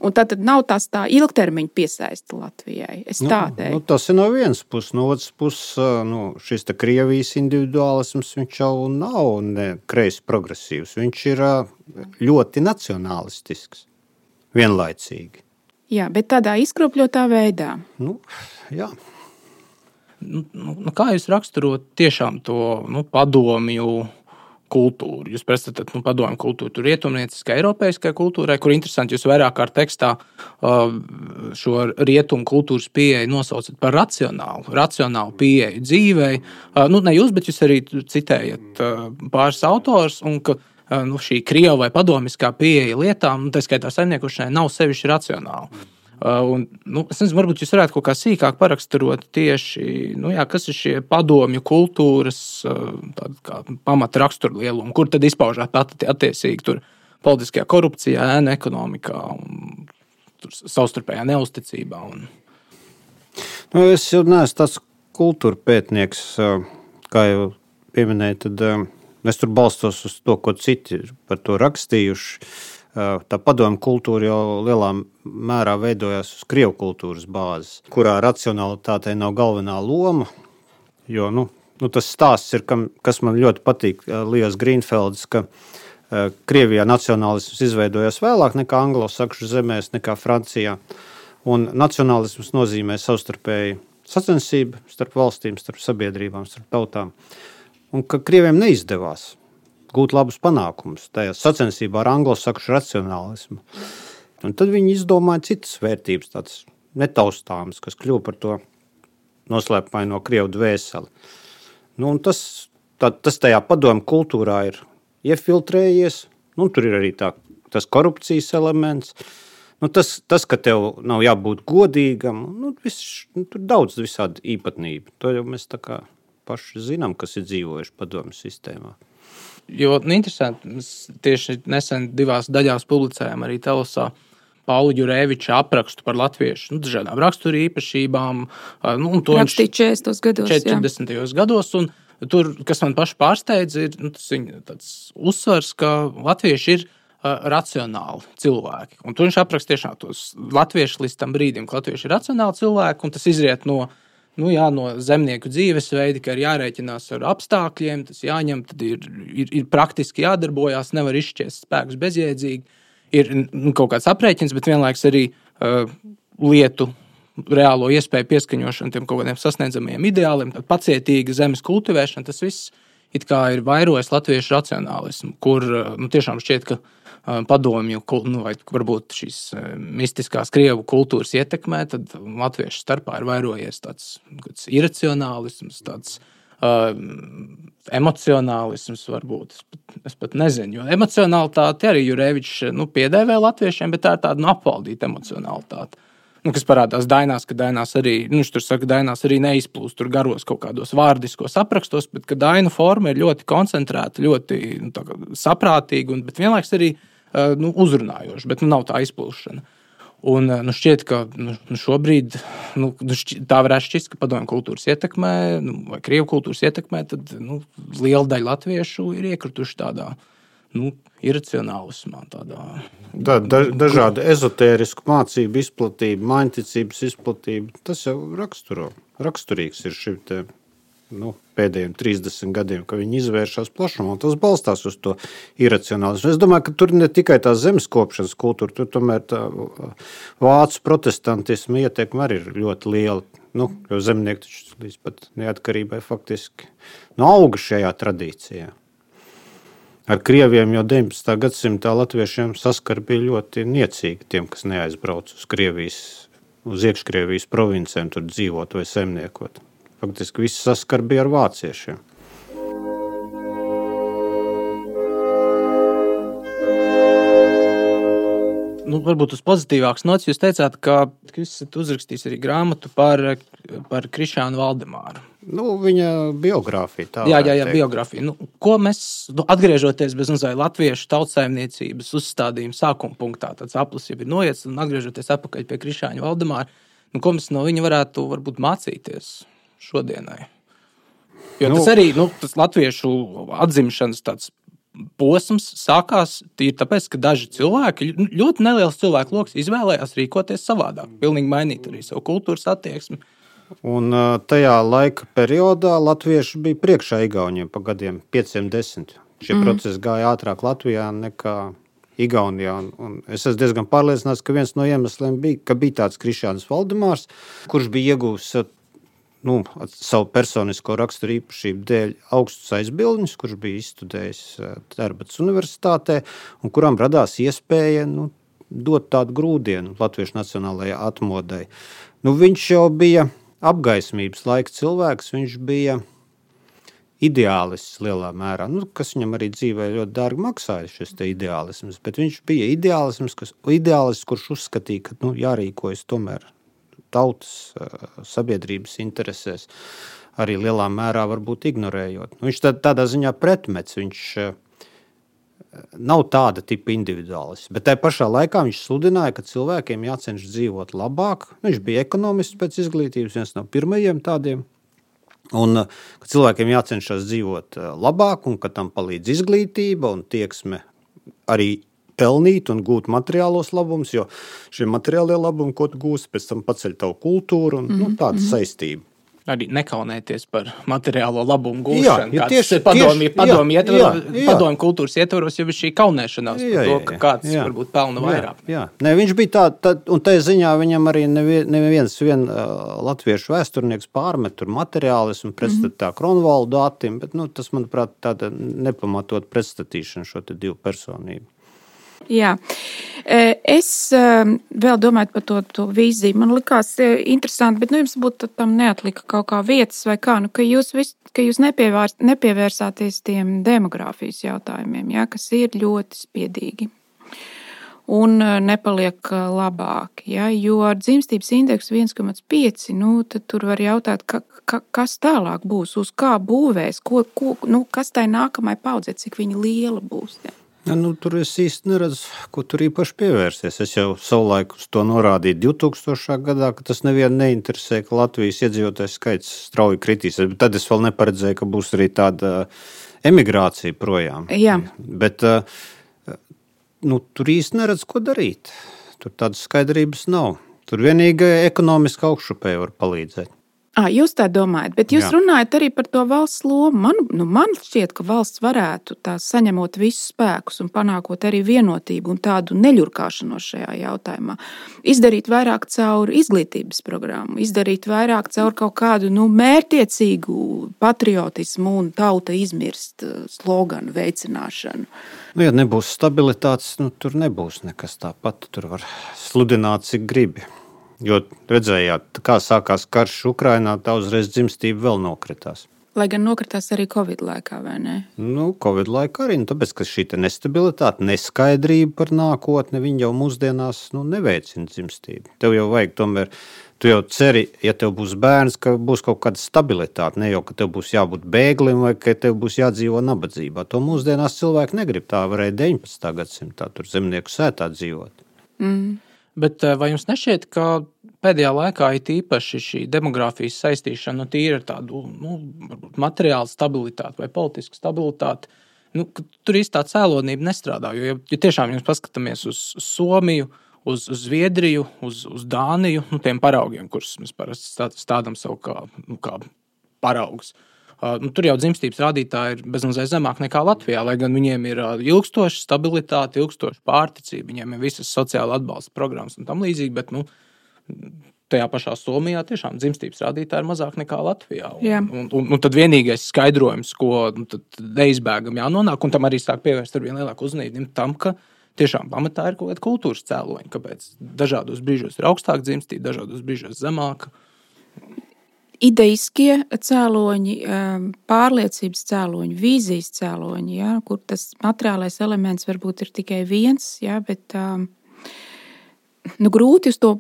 un tad, tad nav tās tā ilgtermiņa piesaista Latvijai. Es nu, tā teiktu. Nu, tas ir no vienas puses, no otras puses, nu, šis te Krievijas individuālisms, viņš jau nav ne kreisi progresīvs, viņš ir ļoti nacionālistisks, vienlaicīgi. Jā, bet tādā izkropļotā veidā. Nu, jā. Nu, nu, kā jūs raksturot tiešām to nu, padomju kultūru? Jūs pretstatat nu, padomju kultūru tur rietumnieciskai, eiropeiskai kultūrai, kur interesanti jūs vairāk kā tekstā uh, šo rietumu kultūras pieeju nosaucat par racionālu, racionālu pieeju dzīvei. Uh, nu, ne jūs, bet jūs arī citējat uh, pāris autors, un ka nu, šī krieva vai padomiskā pieeja lietām, nu, tā skaitā saimniekošanai, nav sevišķi racionāla. Uh, un, nu, es nezinu, varbūt jūs varētu kaut kā sīkāk paraksturot tieši, nu jā, kas ir šie padomju kultūras uh, kā pamata raksturlielumi, kur tad izpaužāt attiecīgi tur politiskajā korupcijā, ēnu ekonomikā un tur savstarpējā neusticībā. Un... Nu, es jau neesmu tāds kultūra pētnieks, kā jau pieminēju, tad es tur balstos uz to, ko citi par to rakstījuši. Tā padomju kultūra jau lielā mērā veidojās uz krievu kultūras bāzes, kurā racionalitātei nav galvenā loma. Jo nu, nu tas stāsts ir, kam, kas man ļoti patīk, Lijos Grīnfelds, ka Krievijā nacionālisms izveidojās vēlāk nekā anglosakšu zemēs, nekā Francijā. Un nacionālisms nozīmē savstarpēji sacensība starp valstīm, starp sabiedrībām, starp tautām. Un ka Krieviem neizdevās gūt labus panākumus tajā sacensībā ar anglosaksšu racionālismu. Un tad viņi izdomāja citas vērtības, tādas netaustāmas, kas kļuva par to noslēpumaino Krievu dvēseli. Nu, un tas, tā, tas tajā padomu kultūrā ir iefiltrējies, nu, tur ir arī tā, tas korupcijas elements, nu, tas, tas, ka tev nav jābūt godīgam, nu, viss, nu, tur daudz visādi īpatnība. To jau mēs tā kā paši zinām, kas ir dzīvojuši padomu sistēmā. Jo, nu, interesanti, mēs tieši nesen divās daļās publicējām arī Telosā Paula Jurēviča aprakstu par latviešu, nu, dažādām raksturu īpašībām. Nu, un to Rakstīt četrdesmitajos gados, četrdesmitajos gados, un tur, kas man paši pārsteidz, ir nu, tas viņa tāds uzsvars, ka latvieši ir uh, racionāli cilvēki. Un to viņš apraksta tiešām tos latvieši līdz tam brīdim, ka latvieši ir racionāli cilvēki, un tas izriet no, nu, jā, no zemnieku dzīvesveidi, ka ir jārēķinās ar apstākļiem, tas jāņem, tad ir, ir, ir praktiski jādarbojās, nevar izšķiest spēkus bezjēdzīgi. Ir nu, kaut kāds aprēķins, bet vienlaiks arī uh, lietu reālo iespēju pieskaņošana tiem kaut kādiem sasniedzamajiem ideāliem, tad pacietīga zemes kultivēšana, tas viss it kā ir vairojis latviešu racionālismu, kur uh, nu, tiešām šķiet, ka uh, padomju, nu, vai varbūt šīs uh, mistiskās Krievu kultūras ietekmē, tad latviešu starpā ir vairojies tāds, tāds iracionālisms, tāds Uh, emocionālisms varbūt, es pat, es pat nezinu, jo emocionalitāti arī Jurēvičs nu, piedēvē latviešiem, bet tā ir tāda nu, apvaldīta emocionalitāte, nu, kas parādās Dainās, ka Dainās arī, nu, tur saka, Dainās arī neizplūst tur garos kaut kādos vārdiskos aprakstos, bet ka Dainu forma ir ļoti koncentrēta, ļoti nu, tā, saprātīga, un, bet vienlaiks arī uh, nu, uzrunājoša, bet nu, nav tā izplūšana. Un nu, šķiet, ka nu, šobrīd nu, šķiet, tā varētu šķist, ka padomju kultūras ietekmē, nu, vai Krievu kultūras ietekmē, tad nu, liela daļa latviešu ir iekrituši tādā nu, iracionālismā. Tādā, da, da, dažādi ezotērisku mācību izplatība, maiņticības izplatība, tas jau raksturo. Raksturīgs ir šim te nu, pēdējiem trīsdesmit gadiem, ka viņi izvēršas plašumā, un tas balstās uz to iracionālismu. Es domāju, ka tur ne tikai tā zemeskopšanas kultūra, tur tomēr tā vācu protestantisma ietekme arī ir ļoti liela. Nu, jo zemnieki taču līdz pat neatkarībai faktiski nu, auga šajā tradīcijā. Ar Krieviem jau deviņpadsmitā gadsimtā latviešiem saskar bija ļoti niecīgi tiem, kas neaizbrauc uz Krievijas, uz iekškrievijas provincēm tur dzīvot vai saimniekot. Faktiski viss saskar bija ar vāciešiem. Nu, varbūt uz pozitīvāks nots, jūs teicāt, ka jūs esat uzrakstījis arī grāmatu par, par Krišānu Valdemāru. Nu, viņa biogrāfija. Tā jā, jā, jā, biogrāfija. Nu, ko mēs, nu, atgriežoties bez mazai latviešu tautsaimniecības uzstādījuma sākuma punktā, tāds aplis jau ir noiets, un atgriežoties atpakaļ pie Krišāņa Valdemāra, nu, ko mēs no viņa varētu varbūt mācīties šodienai. Jo nu, tas arī, nu, tas latviešu atzimšanas tāds posms sākās tīri tāpēc, ka daži cilvēki, ļoti neliels cilvēku loks izvēlējās rīkoties savādāk, pilnīgi mainīt arī savu kultūras attieksmi. Un tajā laika periodā latvieši bija priekšā Igauniem pa gadiem pieciem desmit. Šie mm. procesi gāja ātrāk Latvijā nekā Igaunijā. Un, un es esmu diezgan pārliecināts, ka viens no iemesliem bija, ka bija tāds Krišāns Valdemārs, kurš bija iegūs nu, savu personisko raksturu īpašību dēļ augstus aizbildņus, kurš bija izstudējis Tērbatas universitātē, un kuram radās iespēja nu, dot tādu grūdienu latviešu nacionālajai atmodai. Nu, viņš jau bija apgaismības laika cilvēks, viņš bija ideālists lielā mērā, nu, kas viņam arī dzīvē ļoti dārgi maksāja šis te ideālisms, bet viņš bija ideālisms, kas, ideālists, kurš uzskatīja, ka nu, jārīkojas tomēr tautas sabiedrības interesēs, arī lielā mērā varbūt ignorējot. Nu, viņš tā, tādā ziņā pretmets, viņš nav tāda tipa individuālists, bet tajā pašā laikā viņš sludināja, ka cilvēkiem jācenšas dzīvot labāk. Viņš bija ekonomists pēc izglītības, viens no pirmajiem tādiem, un ka cilvēkiem jācenšas dzīvot labāk, un ka tam palīdz izglītība un tieksme arī pelnīt un gūt materiālos labumus, jo šie materiālie labumi, ko tu gūsi, pēc tam paceļ tavu kultūru un mm-hmm. nu, tāda saistība. arī nekaunēties par materiālo labumu gūšanu. Jā, ja tieši padomju, padomju, ietvaros, padomju kultūras ietvaros jau ir šī kaunēšanās jā, par to, ka kāds jā, varbūt pelna vairāk. Jā, jā. Ne, viņš bija tā, tā, un tajā ziņā viņam arī neviens vien uh, latviešu vēsturnieks pārmet tur materiālismu pretstatā mm-hmm. Kronvaldu Atim, bet nu, tas, manuprāt, tāda nepamatot pretstatīšana šo te divu personību. Jā, es vēl domāju par to, to vīziju. Man likās interesanti, bet nu, jums būtu tam neatlika kaut kā vietas vai kā, nu, ka jūs, vis, ka jūs nepievērs, nepievērsāties tiem demogrāfijas jautājumiem, jā, kas ir ļoti spiedīgi un nepaliek labāk. Jā, jo ar dzimstības indeksu viens komats pieci, nu, tad tur var jautāt, ka, ka, kas tālāk būs, uz kā būvēs, ko, ko, nu, kas tai nākamai paudzē, cik viņa liela būs. Jā. Ja, nu, tur es īsti neredzu, ko tur īpaši pievērsties. Es jau savulaik uz to norādīju divtūkstošā gadā, ka tas nevienu neinteresē, ka Latvijas iedzīvotājs skaits strauji kritīs. Bet tad es vēl neparedzēju, ka būs arī tāda emigrācija projām. Jā. Bet nu, tur īsti neredz, ko darīt. Tur tādas skaidrības nav. Tur vienīgi ekonomiski augšupēji var palīdzēt. À, jūs tā domājat, bet jūs Jā. runājat arī par to valsts lomu. Man, nu, man šķiet, ka valsts varētu tā saņemot visus spēkus un panākot arī vienotību un tādu neļurkāšanos šajā jautājumā. Izdarīt vairāk caur izglītības programmu, izdarīt vairāk caur kaut kādu nu, mērķtiecīgu patriotismu un tauta izmirst sloganu veicināšanu. Nu, ja nebūs stabilitātes, nu, tur nebūs nekas tāpat. Tur var sludināt, cik gribi. Jo redzējāt, kā sākās karš Ukrainā, tā uzreiz dzimstība vēl nokritās. Lai gan nokritās arī Covid laikā, vai ne? Nu, Covid laikā arī, nu, tāpēc, ka šī nestabilitāte, neskaidrība par nākotni, viņa jau mūsdienās nu, neveicina dzimstību. Tev jau vajag tomēr, tu jau ceri, ja tev būs bērns, ka būs kaut kāda stabilitāte, ne jau, ka tev būs jābūt bēglim vai ka tev būs jādzīvo nabadzībā. To mūsdienās cilvēki negrib, tā varēja deviņpadsmitā gadsimtā tur zemnieku sētā dzīvot. Mm. Bet vai jums nešķiet, ka pēdējā laikā ir īpaši šī demogrāfijas saistīšana, nu, tīri ar tādu nu, materiālu stabilitāti vai politisku stabilitāti, nu, tur īsti tā cēlonība nestrādā? Jo, ja, ja tiešām jūs paskatāmies uz Somiju, uz, uz Zviedriju, uz, uz Dāniju, nu, tiem paraugiem, kurus mēs parasti stādām savu kā, nu, kā paraugus, Uh, nu, tur jau dzimstības rādītāji ir bezmazliet zemāk nekā Latvijā, lai gan viņiem ir uh, ilgstoša stabilitāte, ilgstoša pārticība, viņiem ir visas sociāla atbalsta programmas un tam līdzīgi, bet nu, tajā pašā Somijā tiešām dzimstības rādītāji ir mazāk nekā Latvijā. Un, un, un, un tad vienīgais skaidrojums, ko nu, neizbēgam jānonāk, un tam arī sāk pievērst ar vien lielāku uzmanību tam, ka tiešām pamatā ir kaut kāda kultūras cēloņa, kāpēc dažādos brīžos ir augstāk dzimstība, dažādos brīžos zemāka. Ideiskie cēloņi, pārliecības cēloņi, vīzijas cēloņi, ja, kur tas materiālais elements varbūt ir tikai viens, ja, bet nu, grūti uz to,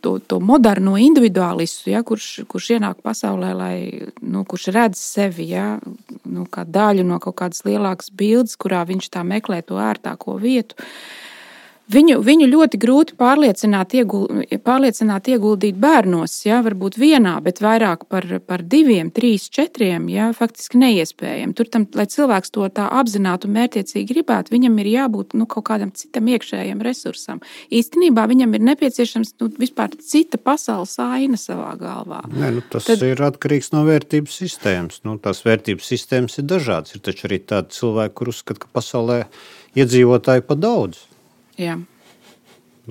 to, to moderno individuālistu, ja, kurš, kurš ienāk pasaulē, lai, nu, kurš redz sevi ja, nu, kā daļu no kaut kādas lielākas bildes, kurā viņš tā meklē to ērtāko vietu. Viņu, viņu ļoti grūti pārliecināt, ieguld, pārliecināt ieguldīt bērnos, ja, varbūt vienā, bet vairāk par, par diviem, trīs, četriem, ja, faktiski neiespējami. Tur tam, lai cilvēks to tā apzinātu un mērķiecīgi gribētu, viņam ir jābūt nu, kaut kādam citam iekšējiem resursam. Īstenībā viņam ir nepieciešams nu, vispār cita pasaules aina savā galvā. Nē, nu, tas Tad... ir atkarīgs no vērtības sistēmas. Nu, tās vērtības sistēmas ir dažādas. Ir taču arī tādi cilvēki, kur uzskata, ka pasaulē iedzīvotāji pa daudz. Jā.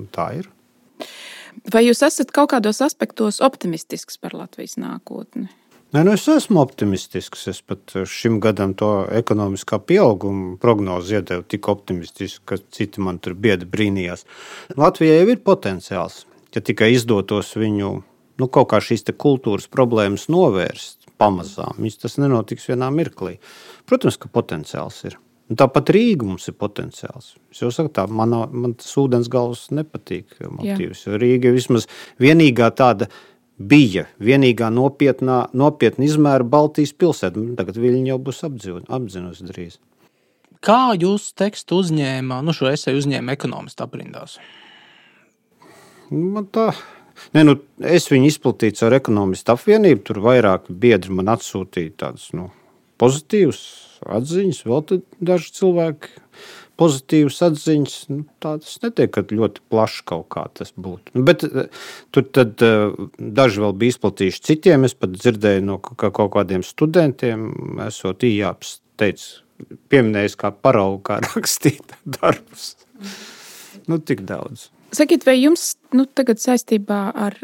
Tā ir. Vai jūs esat kaut kādos aspektos optimistisks par Latvijas nākotni? Nē, nu es esmu optimistisks. Es pat šim gadam to ekonomiskā pieauguma prognozi iedevu tik optimistisku, ka citi man tur biedi brīnījās. Latvijai jau ir potenciāls, ja tikai izdotos viņu nu, kaut kā šīs te kultūras problēmas novērst pamazām. Viņas tas nenotiks vienā mirklī. Protams, ka potenciāls ir. Un tāpat Rīga mums ir potenciāls. Es jau saku tā, man, man tas ūdens galvas nepatīk motīvs. Jo Rīga vismaz vienīgā tāda bija, vienīgā nopietnā, nopietna izmēra Baltijas pilsēta. Tagad Viļņa jau būs apzinusi drīz. Kā jūs tekstu uzņēma, nu šo eseju uzņēma ekonomistu aprindās? Man tā... Ne, nu, es viņu izplatīju ar ekonomistu apvienību, tur vairāk biedri man atsūtīja tādus, nu, pozitīvus atziņas, vēl tad daži cilvēki pozitīvas atziņas, nu, tā tas netiek, ka ļoti plaši kaut kā tas būtu. Nu, bet tur tad daži vēl bija izplatījuši citiem, es pat dzirdēju no kaut kādiem studentiem, esot Ījāps teica, pieminējis kā paraugu, kā rakstīt darbus. Nu, tik daudz. Sakiet, vai jums nu, tagad saistībā ar,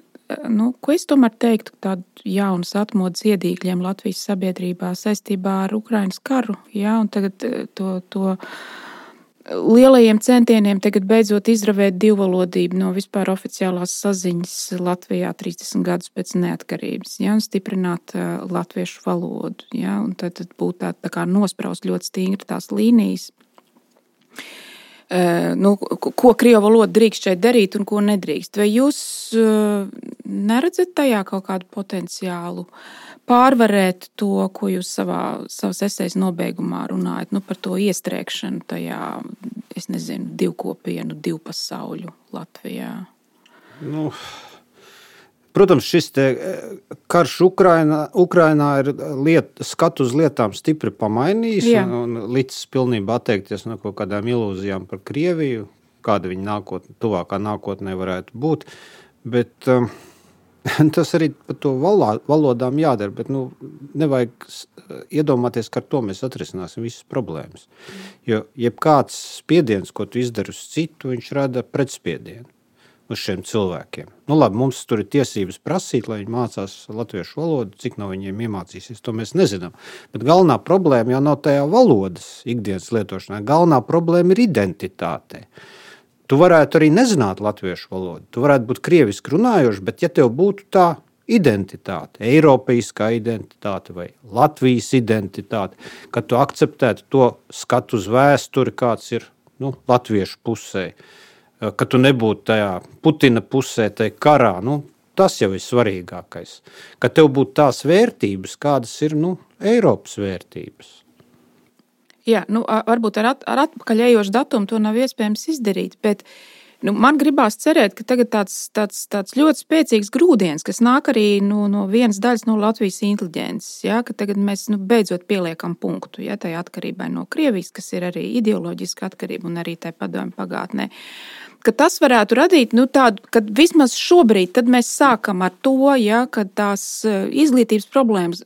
nu, ko es tomēr teiktu, tādu jaunas atmodas iedīgļiem Latvijas sabiedrībā saistībā ar Ukrainas karu, jā, un tagad to, to lielajiem centieniem tagad beidzot izravēt divvalodību no vispār oficiālās saziņas Latvijā trīsdesmit gadus pēc neatkarības, ja, un stiprināt uh, latviešu valodu, ja, un tad, tad būtu tā, tā kā nospraust ļoti stingri tās līnijas, uh, nu, ko krievu valoda drīkst šeit darīt un ko nedrīkst. Vai jūs uh, neredzat tajā kaut kādu potenciālu pārvarēt to, ko jūs savā, savas esejas nobeigumā runājat, nu, par to iestrēgšanu tajā, es nezinu, divkopienu, divpasauļu Latvijā? Nu, protams, šis te karš Ukrainā, Ukrainā ir liet, skatu uz lietām stipri pamainījis un, un līdz pilnībā atteikties no kaut kādām ilūzijām par Krieviju, kāda viņa nākotnē, tuvākā nākotnē varētu būt, bet um, tas arī par to valodām jādara, bet nu, nevajag iedomāties, ka ar to mēs atrisināsim visas problēmas. Jo jebkāds spiediens, ko tu izdari uz citu, viņš rada pretspiedienu uz šiem cilvēkiem. Nu labi, mums tur ir tiesības prasīt, lai viņi mācās latviešu valodu, cik no viņiem iemācīsies, to mēs nezinām. Bet galvenā problēma jau nav tajā valodas ikdienas lietošanā. Galvenā problēma ir identitātē. Tu varētu arī nezināt latviešu valodu. Tu varētu būt krieviski runājoši, bet ja tev būtu tā identitāte, eiropeiskā identitāte vai Latvijas identitāte, ka tu akceptētu to skatu uz vēsturi, kāds ir nu, latviešu pusē, ka tu nebūtu tajā Putina pusē, tajā karā, nu, tas jau ir svarīgākais. Ka tev būtu tās vērtības, kādas ir nu, Eiropas vērtības. Jā, nu, varbūt ar, at, ar atpakaļējošu datumu to nav iespējams izdarīt, bet nu, man gribās cerēt, ka tagad tāds, tāds, tāds ļoti spēcīgs grūdienis, kas nāk arī no, no vienas daļas no Latvijas inteliģences, ja, ka tagad mēs nu, beidzot pieliekam punktu ja, tai atkarībai no Krievijas, kas ir arī ideoloģiska atkarība un arī tai padomju pagātnē. Ka tas varētu radīt nu, tādu, ka vismaz šobrīd tad mēs sākam ar to, ja, ka tās izglītības problēmas,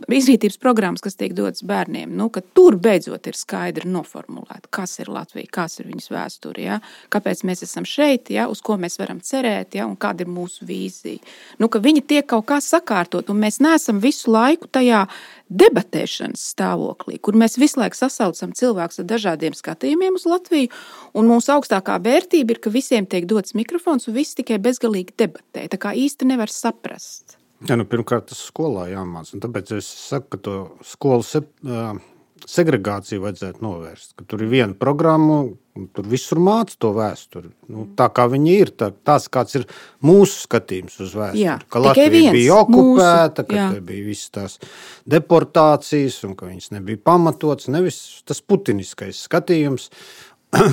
izglītības programmas, kas tiek dotas bērniem, nu, ka tur beidzot ir skaidri noformulēta, kas ir Latvija, kas ir viņas vēsture, ja, kāpēc mēs esam šeit, ja, uz ko mēs varam cerēt, ja, un kāda ir mūsu vīzija. Nu, ka viņi tiek kaut kā sakārtot, un mēs neesam visu laiku tajā debatēšanas stāvoklī, kur mēs visu laiku sasaucam cilvēkus ar dažādiem skatījumiem uz Latviju, un mūsu augstākā vērtība ir, ka visiem tiek dots mikrofons, un visi tikai bezgalīgi debatē. Tā kā īsti nevar saprast. Ja, nu, pirmkārt, tas skolā jāmāc, un tāpēc es saku, ka to skolu se, uh, segregāciju vajadzētu novērst, ka tur ir viena programma, un tur visur māca to vēsturi. Nu, tā kā viņi ir, tā, tās kāds ir mūsu skatījums uz vēsturi. Jā, ka Latvija viens, bija okupēta, mūsu, ka te bija visas tās deportācijas, un ka viņas nebija pamatots, nevis tas putiniskais skatījums,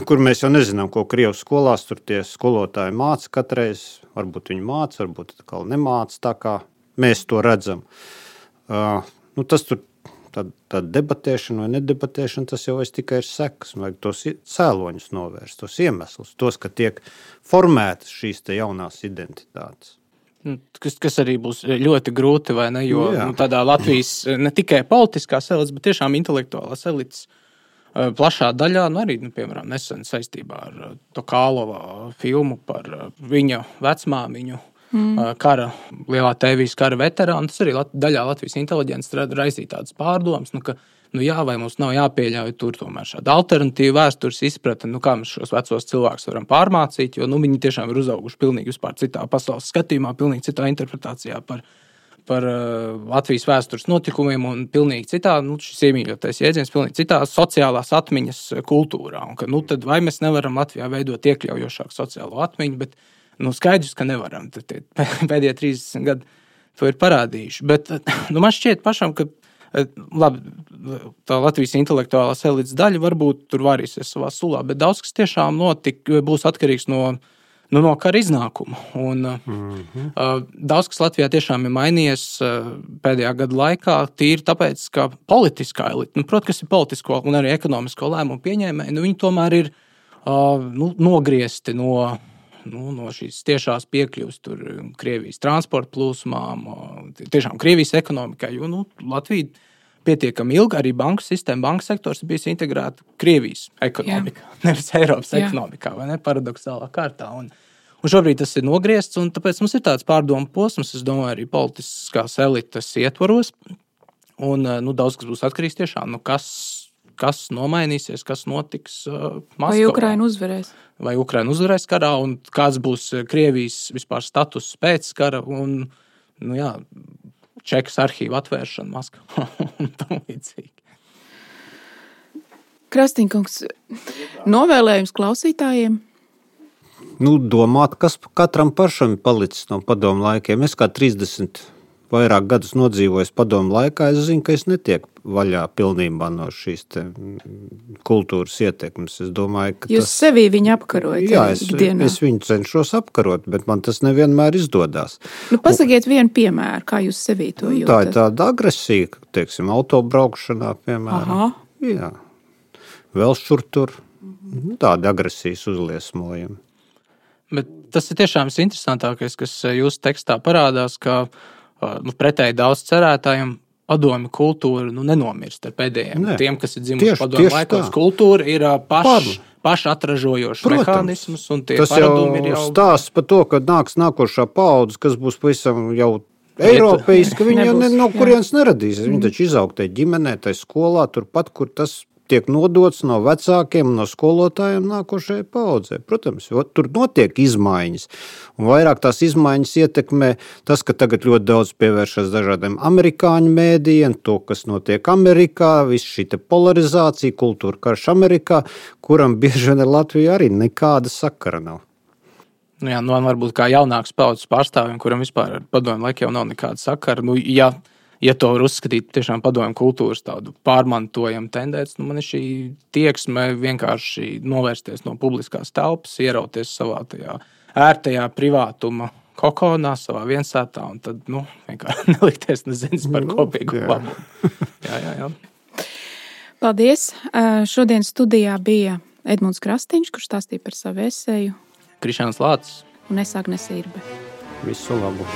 kur mēs jau nezinām, ko Krievas skolās tur tie skolotāji māca katreiz. Varbūt viņi māca, varbūt atkal nemāca, tā kā mēs to redzam. Uh, nu, tas tur tā, tā debatēšana vai nedebatēšana, tas jau es tikai ir sekas. Vajag tos cēloņus novērst, tos iemeslus, tos, ka tiek formētas šīs te jaunās identitātes. Kas, kas arī būs ļoti grūti, vai ne? Jo nu, tādā Latvijas ne tikai politiskās elites, bet tiešām intelektuālās elites plašā daļā, nu arī, nu, piemēram, nesen saistībā ar Tokālova filmu par viņa vecmāmiņu, mm. kara, lielā tēvijas kara veterānu, tas arī daļā Latvijas inteliģences raisīja tādas pārdomas, nu, ka, nu jā, vai mums nav jāpieļauj tur tomēr šāda alternatīva vēstures izpratne, nu kā mēs šos vecos cilvēkus varam pārmācīt, jo, nu, viņi tiešām ir uzauguši pilnīgi vispār citā pasaules skatījumā, pilnīgi citā interpretācijā par par uh, Latvijas vēstures notikumiem un pilnīgi citā, nu, šis iemīļotais jēdziens, pilnīgi citā sociālās atmiņas kultūrā. Un ka, nu, tad vai mēs nevaram Latvijā veidot iekļaujošāku sociālo atmiņu, bet, nu, skaidrs, ka nevaram. Tad tie pēdējie trīsdesmit gadi to ir parādījuši. Bet, nu, man šķiet pašam, ka, labi, tā Latvijas intelektuālās elites daļa varbūt tur varīsies savā sulā, bet daudz, kas tiešām notika, būs atkarīgs no nu, no kara iznākuma. Un, mm-hmm. uh, daudz kas Latvijā tiešām ir mainījies uh, pēdējā gada laikā, tīri tāpēc, ka politiskā elite, nu, protams, kas ir politisko un arī ekonomisko lēmumu pieņēmēji, nu, viņi tomēr ir uh, nu, nogriezti no, nu, no šīs tiešās piekļuvas tur Krievijas transporta plūsmām, uh, tiešām Krievijas ekonomikai, jo nu, Latvija pietiekami ilgi, arī banku sistēma, banku sektors ir bijis integrēta Krievijas ekonomikā, Jā. nevis Eiropas Jā. ekonomikā, vai ne, paradoxālā kārtā. Un, un šobrīd tas ir nogriezts, un tāpēc mums ir tāds pārdomu posms, es domāju, arī politiskās elites ietvaros, un nu, daudz kas būs atkarīgs tiešām, nu, kas, kas nomainīsies, kas notiks uh, Maskavā. Vai Ukraina uzvarēs? Vai Ukraina uzvarēs karā, un kāds būs Krievijas vispār status pēc kara, un, nu jā, Čekas arhīva atvēršana Maskavā un tam līdzīgi. Krastīnkungs, novēlējums klausītājiem? Nu, domāt, kas katram pašam palicis no padomu laikiem. Es kā trīsdesmit vairāk gadus nodzīvojis padomu laikā, es zinu, ka es netieku vaļā pilnībā no šīs te kultūras ietekmes. Es domāju, ka Jūs tas... sevī viņu apkarojat? Jā, es, es viņu cenšos apkarot, bet man tas nevienmēr izdodās. Nu, pasakiet vienu piemēru, kā jūs sevī to jūtat. Tā ir tāda agresija, teiksim, autobraukšanā, piemēram. Aha. Jā. Vēl šur tur. Tāda agresijas uzliesmojumi. Bet tas ir tiešām interesantākais, kas jūsu tekstā parādās, ka nu, pretēji daudz cerētājiem padomju kultūra nu, nenomirst ar pēdējiem. Ne. Tiem, kas ir dzimuši padomju laikos, kultūra ir paš, pašatražojošs mehānisms, un tie tas paradumi ir jau... Tas jau stāsts par to, ka nāks nākošā paudze, kas būs pavisam jau eiropeiski, viņi jau ne, no kurienes neradīs. Viņi taču izaug tai ģimenē, tai skolā, turpat, kur tas tiek nodots no vecākiem, no skolotājiem nākošajai paudzē. Protams, tur notiek izmaiņas. Un vairāk tās izmaiņas ietekmē tas, ka tagad ļoti daudz pievēršas dažādiem amerikāņu mēdījiem, to, kas notiek Amerikā, viss šī te polarizācija, kultūra karš Amerikā, kuram bieži vien ar Latviju arī nekāda sakara nav. Nu jā, nu varbūt kā jaunāks paudzes pārstāvjiem, kuram vispār ar padomju laikiem nav nekāda sakara. Nu, ja Ja to var uzskatīt tiešām padomju kultūras tādu pārmantojumu tendenci, nu man ir šī tieksme vienkārši novērsties no publiskās telpas, ierauties savā tajā ērtajā privātuma kokonā, savā viensētā, un tad, nu, vienkārši nelikties nezins par kopīgu labu. Jā, jā, jā. Paldies. Šodien studijā bija Edmunds Krastīņš, kurš stāstīja par savu eseju. Krišjāns Lācis. Un es Agne Sirbe. Visu labu.